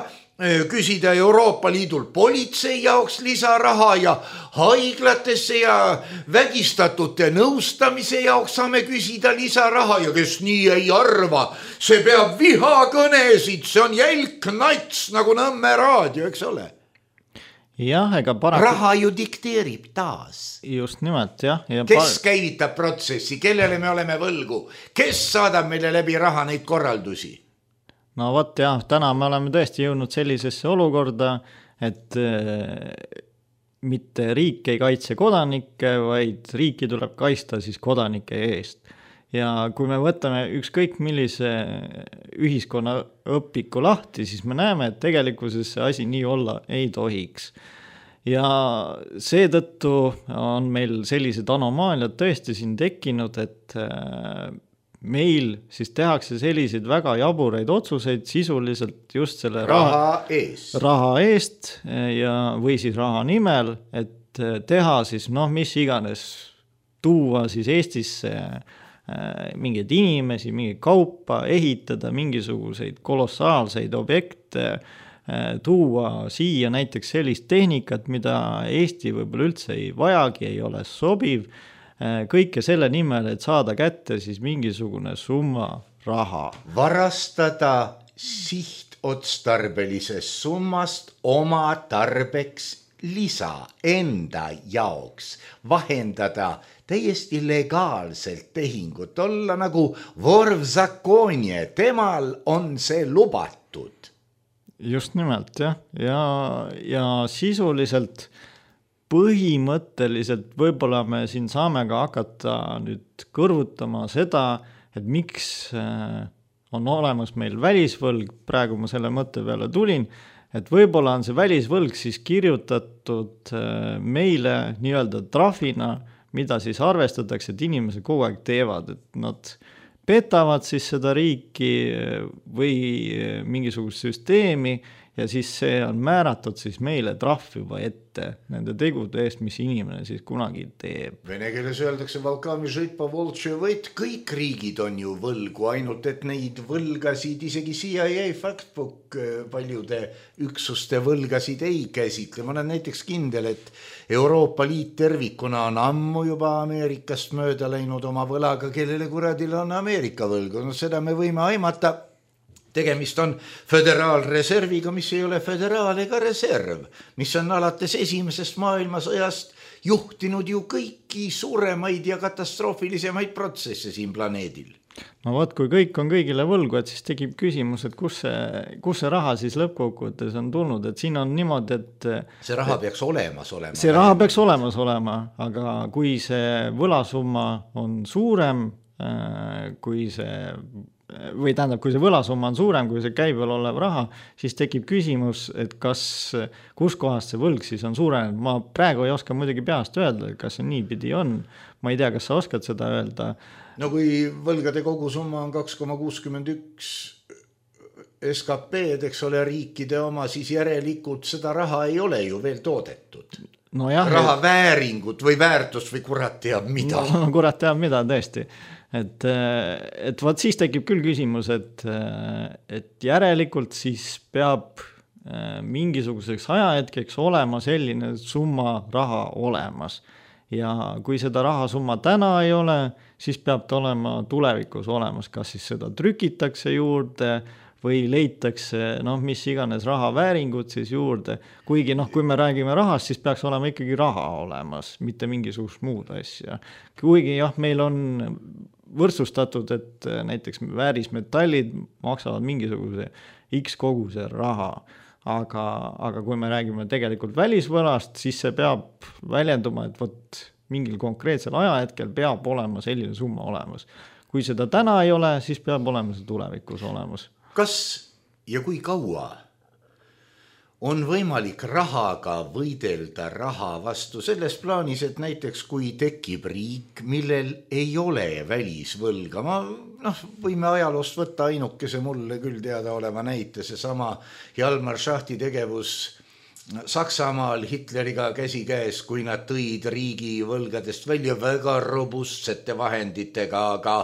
küsida Euroopa Liidul politsei jaoks lisaraha ja haiglatesse ja vägistatute nõustamise jaoks saame küsida lisaraha ja kes nii ei arva, see peab vihakõnesid, see on jälk nats nagu Nõmme raadio, eks ole? Jah, ega paraku... Raha ju dikteerib taas. Just nimelt, jah. Ja kes par... käivitab protsessi, kellele me oleme võlgu, kes saadab meile läbi raha neid korraldusi? No võt jah, täna me oleme tõesti jõudnud sellisesse olukorda, et äh, mitte riik ei kaitse kodanikke, vaid riiki tuleb kaitsta siis kodanike eest. Ja kui me võtame ükskõik millise ühiskonna õpiku lahti, siis me näeme, et tegelikkuses see asi nii olla ei tohiks. Ja seetõttu on meil sellised anomaaliad tõesti siin tekkinud, et äh, meil siis tehakse selliseid väga jaburaid otsuseid sisuliselt just selle raha, raha eest, raha eest ja, või siis raha nimel, et teha siis noh, mis iganes, tuua siis Eestisse mingeid inimesi, mingeid kaupa, ehitada mingisuguseid kolossaalseid objekte, tuua siia näiteks sellist tehnikat, mida Eesti võib-olla üldse ei vajagi, ei ole sobiv, kõike selle nimel, et saada kätte siis mingisugune summa raha. Varastada sihtotstarbelisest summast oma tarbeks lisa enda jaoks, vahendada täiesti legaalselt tehingut, olla nagu vorvzakonje, temal on see lubatud. Just nimelt, jah. Ja, ja sisuliselt põhimõtteliselt võib-olla me siin saame ka hakata nüüd kõrvutama seda, et miks on olemas meil välisvõlg, praegu ma selle mõtte peale tulin, et võib-olla on see välisvõlg siis kirjutatud meile nii-öelda trahvina, mida siis arvestatakse, et inimesed kogu aeg teevad, et nad petavad siis seda riiki või mingisugust süsteemi ja siis see on määratud siis meile trahv juba ette nende tegude eest, mis inimene siis kunagi teeb. Vene keeles öeldakse Valkami žitpa voltše võit, kõik riigid on ju võlgu, ainult et neid võlgasid isegi C I A Factbook paljude üksuste võlgasid ei käsitle. Ma olen näiteks kindel, et Euroopa Liit tervikuna on ammu juba Ameerikast mööda läinud oma võlaga, kellele kuradil on Ameerika võlgu. No seda me võime aimata. Tegemist on föderaalreserviga, mis ei ole föderaal ega reserv, mis on alates esimesest maailmasõjast juhtinud ju kõiki suuremaid ja katastroofilisemaid protsesse siin planeedil. No võt, kui kõik on kõigile võlgu, et siis tekib küsimus, et kus see, kus see raha siis lõppkokkuvõttes on tulnud, et siin on niimoodi, et see raha peaks olemas olema. See raha peaks olemas olema, aga kui see võlasumma on suurem, kui see või tähendab, kui see võlasumma on suurem, kui see käibel olev raha, siis tekib küsimus, et kas, kus kohast see võlg siis on suurenenud. Ma praegu ei oska muidugi peast öelda, kas see niipidi on. Ma ei tea, kas sa oskad seda öelda. No kui võlgade kogusumma on kaks koma kuuskümmend üks S K P-d, eks ole, riikide oma, siis järelikult seda raha ei ole ju veel toodetud. No jah, raha et... vääringut või väärtust või kurat teab mida. No, kurat teab mida, tõesti. Et, et vaat siis tekib küll küsimus, et, et järelikult siis peab mingisuguseks ajahetkeks olema selline summa raha olemas. Ja kui seda rahasumma täna ei ole, siis peab ta olema tulevikus olemas, kas siis seda trükitakse juurde või leitakse, noh, mis iganes raha vääringut siis juurde. Kuigi, noh, kui me räägime rahast, siis peaks olema ikkagi raha olemas, mitte mingisugust muud asja. Kuigi, jah, meil on võrdsustatud, et näiteks väärismetallid maksavad mingisuguse X koguse raha, aga, aga kui me räägime tegelikult välisvõlast, siis see peab väljenduma, et võt, mingil konkreetsel ajahetkel peab olema selline summa olemas. Kui seda täna ei ole, siis peab olema see tulevikus olemas. Kas ja kui kaua on võimalik rahaga võidelda raha vastu selles plaanis, et näiteks kui tekib riik, millel ei ole välisvõlga, ma noh, võime ajaloost võtta ainukese mulle küll teada oleva näite, see sama Hjalmar Schachti tegevus Saksamaal Hitleriga käsi käes, kui nad tõid riigi võlgadest välja väga robustsete vahenditega, aga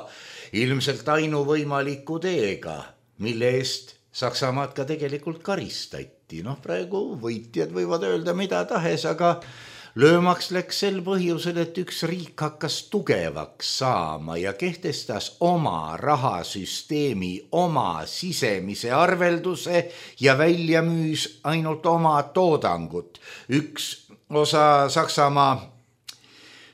ilmselt ainuvõimaliku teega, mille eest Saksamaad ka tegelikult karistati. Noh, praegu võitjad võivad öelda mida tahes, aga löömaks läks sel põhjusel, et üks riik hakkas tugevaks saama ja kehtestas oma rahasüsteemi, oma sisemise arvelduse ja välja müüs ainult oma toodangut. Üks osa Saksamaa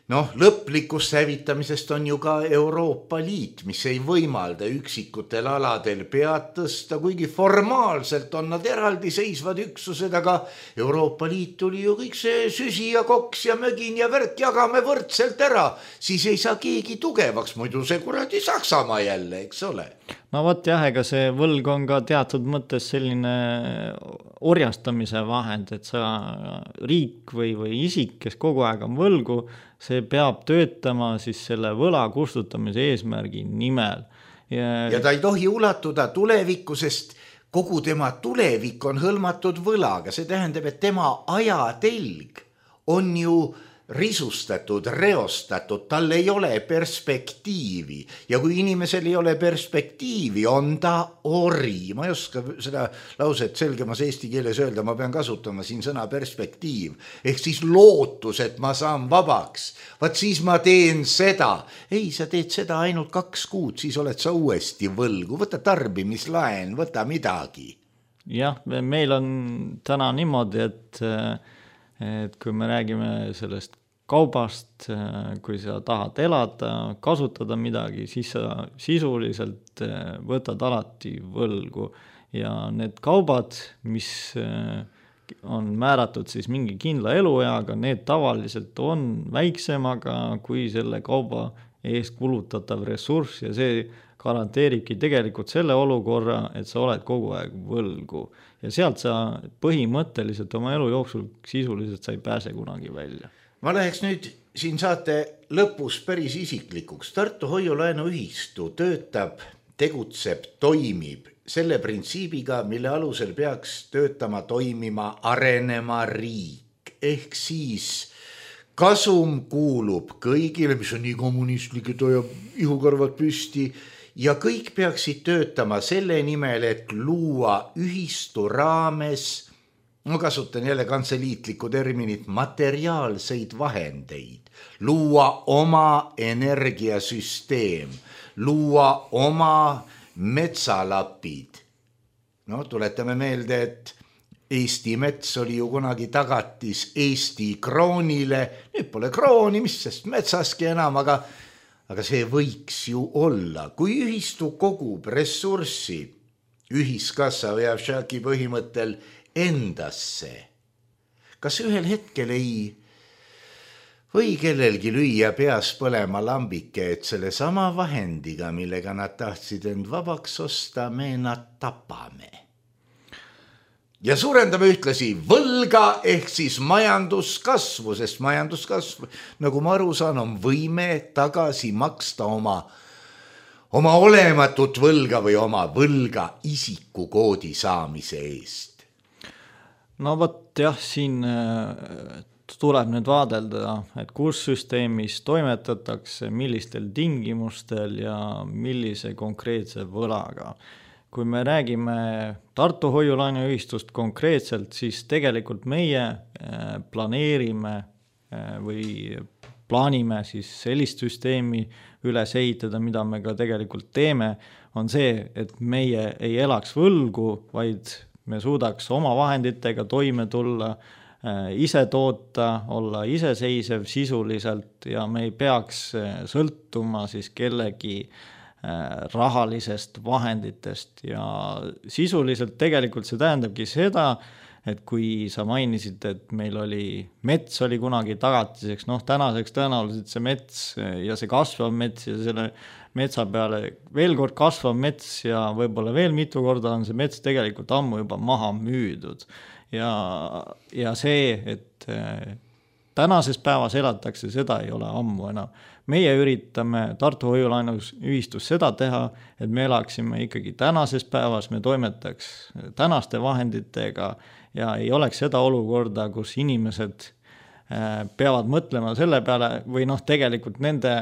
noh, lõplikust hävitamisest on ju ka Euroopa Liit, mis ei võimalda üksikutel aladel pead tõsta, kuigi formaalselt on nad eraldi seisvad üksused, aga Euroopa Liit tuli ju kõik see süsi ja koks ja mögin ja värk jagame võrdselt ära, siis ei saa keegi tugevaks, muidu see kuradi Saksamaa jälle, eks ole. No võt jah, ega see võlg on ka teatud mõttes selline orjastamise vahend, et sa riik või, või isik, kes kogu aeg on võlgu, see peab töötama siis selle võla kustutamise eesmärgi nimel. Ja, ja ta ei tohi ulatuda tulevikku, sest kogu tema tulevik on hõlmatud võlaga. See tähendab, et tema ajatelg on ju risustatud, reostatud, tal ei ole perspektiivi ja kui inimesel ei ole perspektiivi, on ta ori. Ma ei oska seda lauset selgemas eesti keeles öelda, ma pean kasutama siin sõna perspektiiv, ehk siis lootus, et ma saan vabaks. Vaat siis ma teen seda. Ei, sa teed seda ainult kaks kuud, siis oled sa uuesti võlgu. Võta tarbimislaen, võta midagi. Jah, meil on täna niimoodi, et et kui me räägime sellest kaubast, kui sa tahad elada, kasutada midagi, siis sa sisuliselt võtad alati võlgu ja need kaubad, mis on määratud siis mingi kindla elueaga, need tavaliselt on väiksemaga kui selle kauba eest kulutatav ressurss ja see garanteeribki tegelikult selle olukorra, et sa oled kogu aeg võlgu. Ja sealt sa põhimõtteliselt oma elu jooksul sisuliselt sa ei pääse kunagi välja. Ma läheks nüüd siin saate lõpus päris isiklikuks. Tartu Hoiu-laenuühistu töötab, tegutseb, toimib selle printsiibiga, mille alusel peaks töötama, toimima, arenema riik. Ehk siis kasum kuulub kõigile, mis on nii kommunistlik, et hoiab ihukarvad püsti, ja kõik peaksid töötama selle nimel, et luua ühistu raames, ma kasutan jälle kantseliitlikku terminit, materiaalseid vahendeid, luua oma energiasüsteem, luua oma metsalapid. No tuletame meelde, et Eesti mets oli ju kunagi tagatis Eesti kroonile, nüüd pole krooni, mis sest metsaski enam, aga, aga see võiks ju olla. Kui ühistu kogub ressurssi ühiskassa või Avšaki põhimõttel endasse, kas ühel hetkel ei või kellelgi lüüa peas põlema lambike, et selle sama vahendiga, millega nad tahtsid end vabaks osta, me nad tapame. Ja suurendame ühtlasi võlga ehk siis majanduskasvu, sest majanduskasv, nagu ma aru saan, on võime tagasi maksta oma, oma olematut võlga või oma võlga isikukoodi saamise eest. No võt jah, siin tuleb nüüd vaadelda, et kus süsteemis toimetatakse, millistel tingimustel ja millise konkreetse võlaga. Kui me räägime Tartu hoiulaenuühistust konkreetselt, siis tegelikult meie planeerime või plaanime siis sellist süsteemi üles ehitada, mida me ka tegelikult teeme, on see, et meie ei elaks võlgu, vaid me suudaks oma vahenditega toime tulla, ise toota, olla iseseisev sisuliselt ja me ei peaks sõltuma siis kellegi rahalisest vahenditest ja sisuliselt tegelikult see tähendabki seda, et kui sa mainisid, et meil oli mets oli kunagi tagatiseks, noh tänaseks tõenäoliselt see mets ja see kasvav mets ja selle metsa peale veel kord kasvav mets ja võib-olla veel mitu korda on see mets tegelikult ammu juba maha müüdud ja, ja see, et tänases päevas elatakse, seda ei ole ammu enam. Meie üritame Tartu hoiulaenuühistus seda teha, et me elaksime ikkagi tänases päevas, me toimetaks tänaste vahenditega ja ei oleks seda olukorda, kus inimesed peavad mõtlema selle peale või noh, tegelikult nende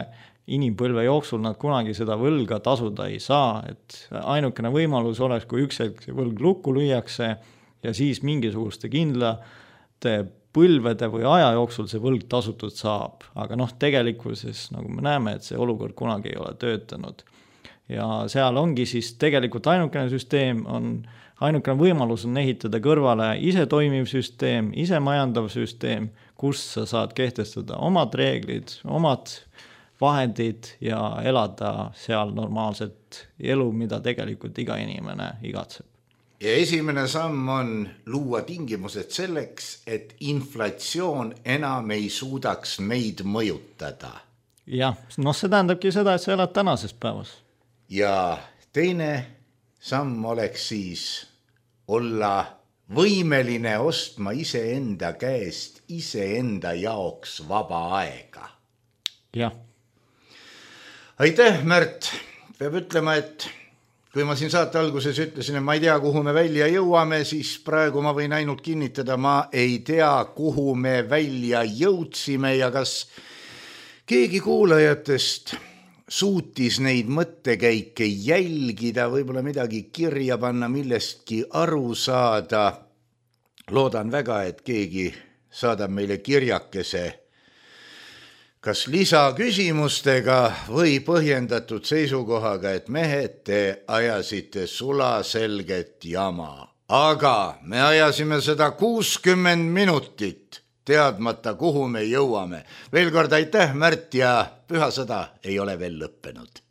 inimpõlve jooksul nad kunagi seda võlga tasuda ei saa, et ainukene võimalus oleks, kui üks hetk võlg lukku lüüakse ja siis mingisuguste kindlate põlvede või aja jooksul see võlg tasutud saab, aga noh, tegelikkuses nagu me näeme, et see olukord kunagi ei ole töötanud. Ja seal ongi siis tegelikult ainukene süsteem on, ainukene võimalus on ehitada kõrvale ise toimiv süsteem, ise majandav süsteem, kus sa saad kehtestada omad reeglid, omad vahendid ja elada seal normaalset elu, mida tegelikult iga inimene igatseb. Ja esimene samm on luua tingimused selleks, et inflatsioon enam ei suudaks meid mõjutada. Jah, no see tähendabki seda, et sa elad tänases päevas. Ja teine samm oleks siis olla võimeline ostma iseenda käest iseenda jaoks vaba aega. Jah. Aitäh, Märt. Peab ütlema, et kui ma siin saate alguses ütlesin, et ma ei tea, kuhu me välja jõuame, siis praegu ma võin ainult kinnitada, ma ei tea, kuhu me välja jõudsime ja kas keegi kuulajatest suutis neid mõttekäike jälgida, võib-olla midagi kirja panna, millestki aru saada. Loodan väga, et keegi saadab meile kirjakese kas lisaküsimustega või põhjendatud seisukohaga, et mehed, te ajasite sulaselget jama. Aga me ajasime seda kuuskümmend minutit, teadmata, kuhu me jõuame. Veel kord aitäh, Märt, ja pühasõda ei ole veel lõppenud.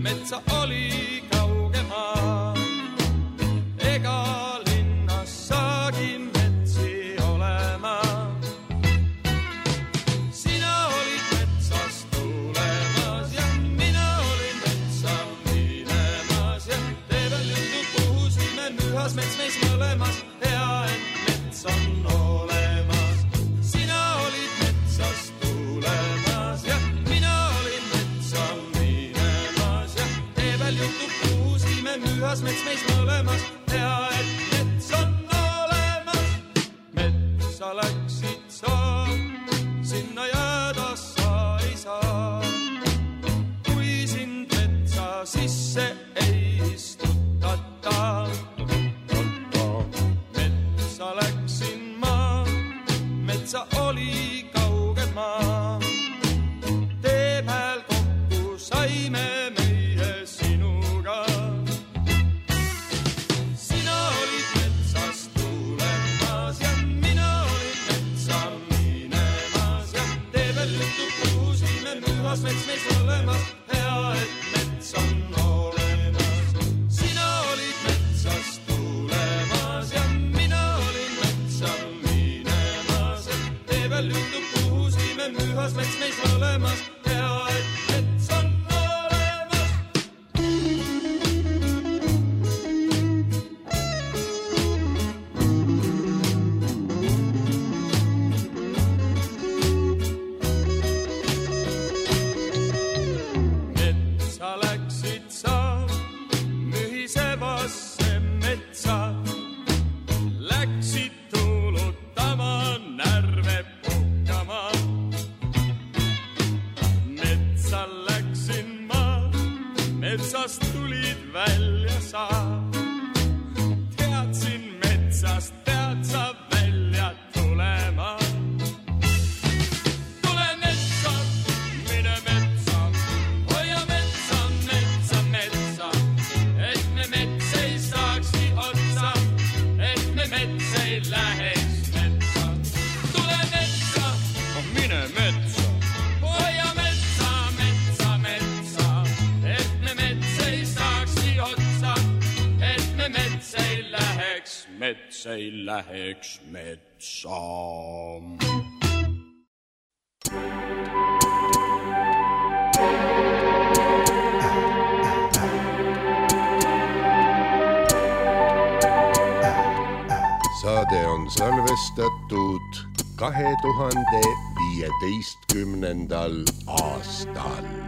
Metsa oli kaugemaa, mühas mets meis mõlemas, hea, et mets on olemas. Metsa läksid sa, sinna jääda sa ei saa. Kui sind metsa sisse ei istutata, metsa läksin ma, metsa oli kauged maa. Tee peal kokku saime meie sinuga. Sina olid metsas tulemas ja mina olin metsa minemas ja tee peal juttu kuusime mühas mets meis olemas, hea, et mets on olemas. Sina olid metsas tulemas ja mina olin metsa minemas ja tee peal juttu kuusime mühas mets meis olemas, hea, et mets on olemas. Metsa läksid sa, mühisevasse metsa. Läksid tuulutama, närve puhkama. Metsa läksin ma, metsast tulid välja sa. Teadsin metsast, tead sa välja tulema. Tule metsa, mine metsa, hoia metsa, metsa, metsa. Et me mets ei saaksi otsa, et me mets ei läheks metsa. Tule metsa, mine metsa, hoia metsa, metsa, metsa. Et me mets ei saaksi otsa, et me mets ei läheks, mets ei läheks metsa. Saade on salvestatud kahe tuhande viieteistkümnendal aastal.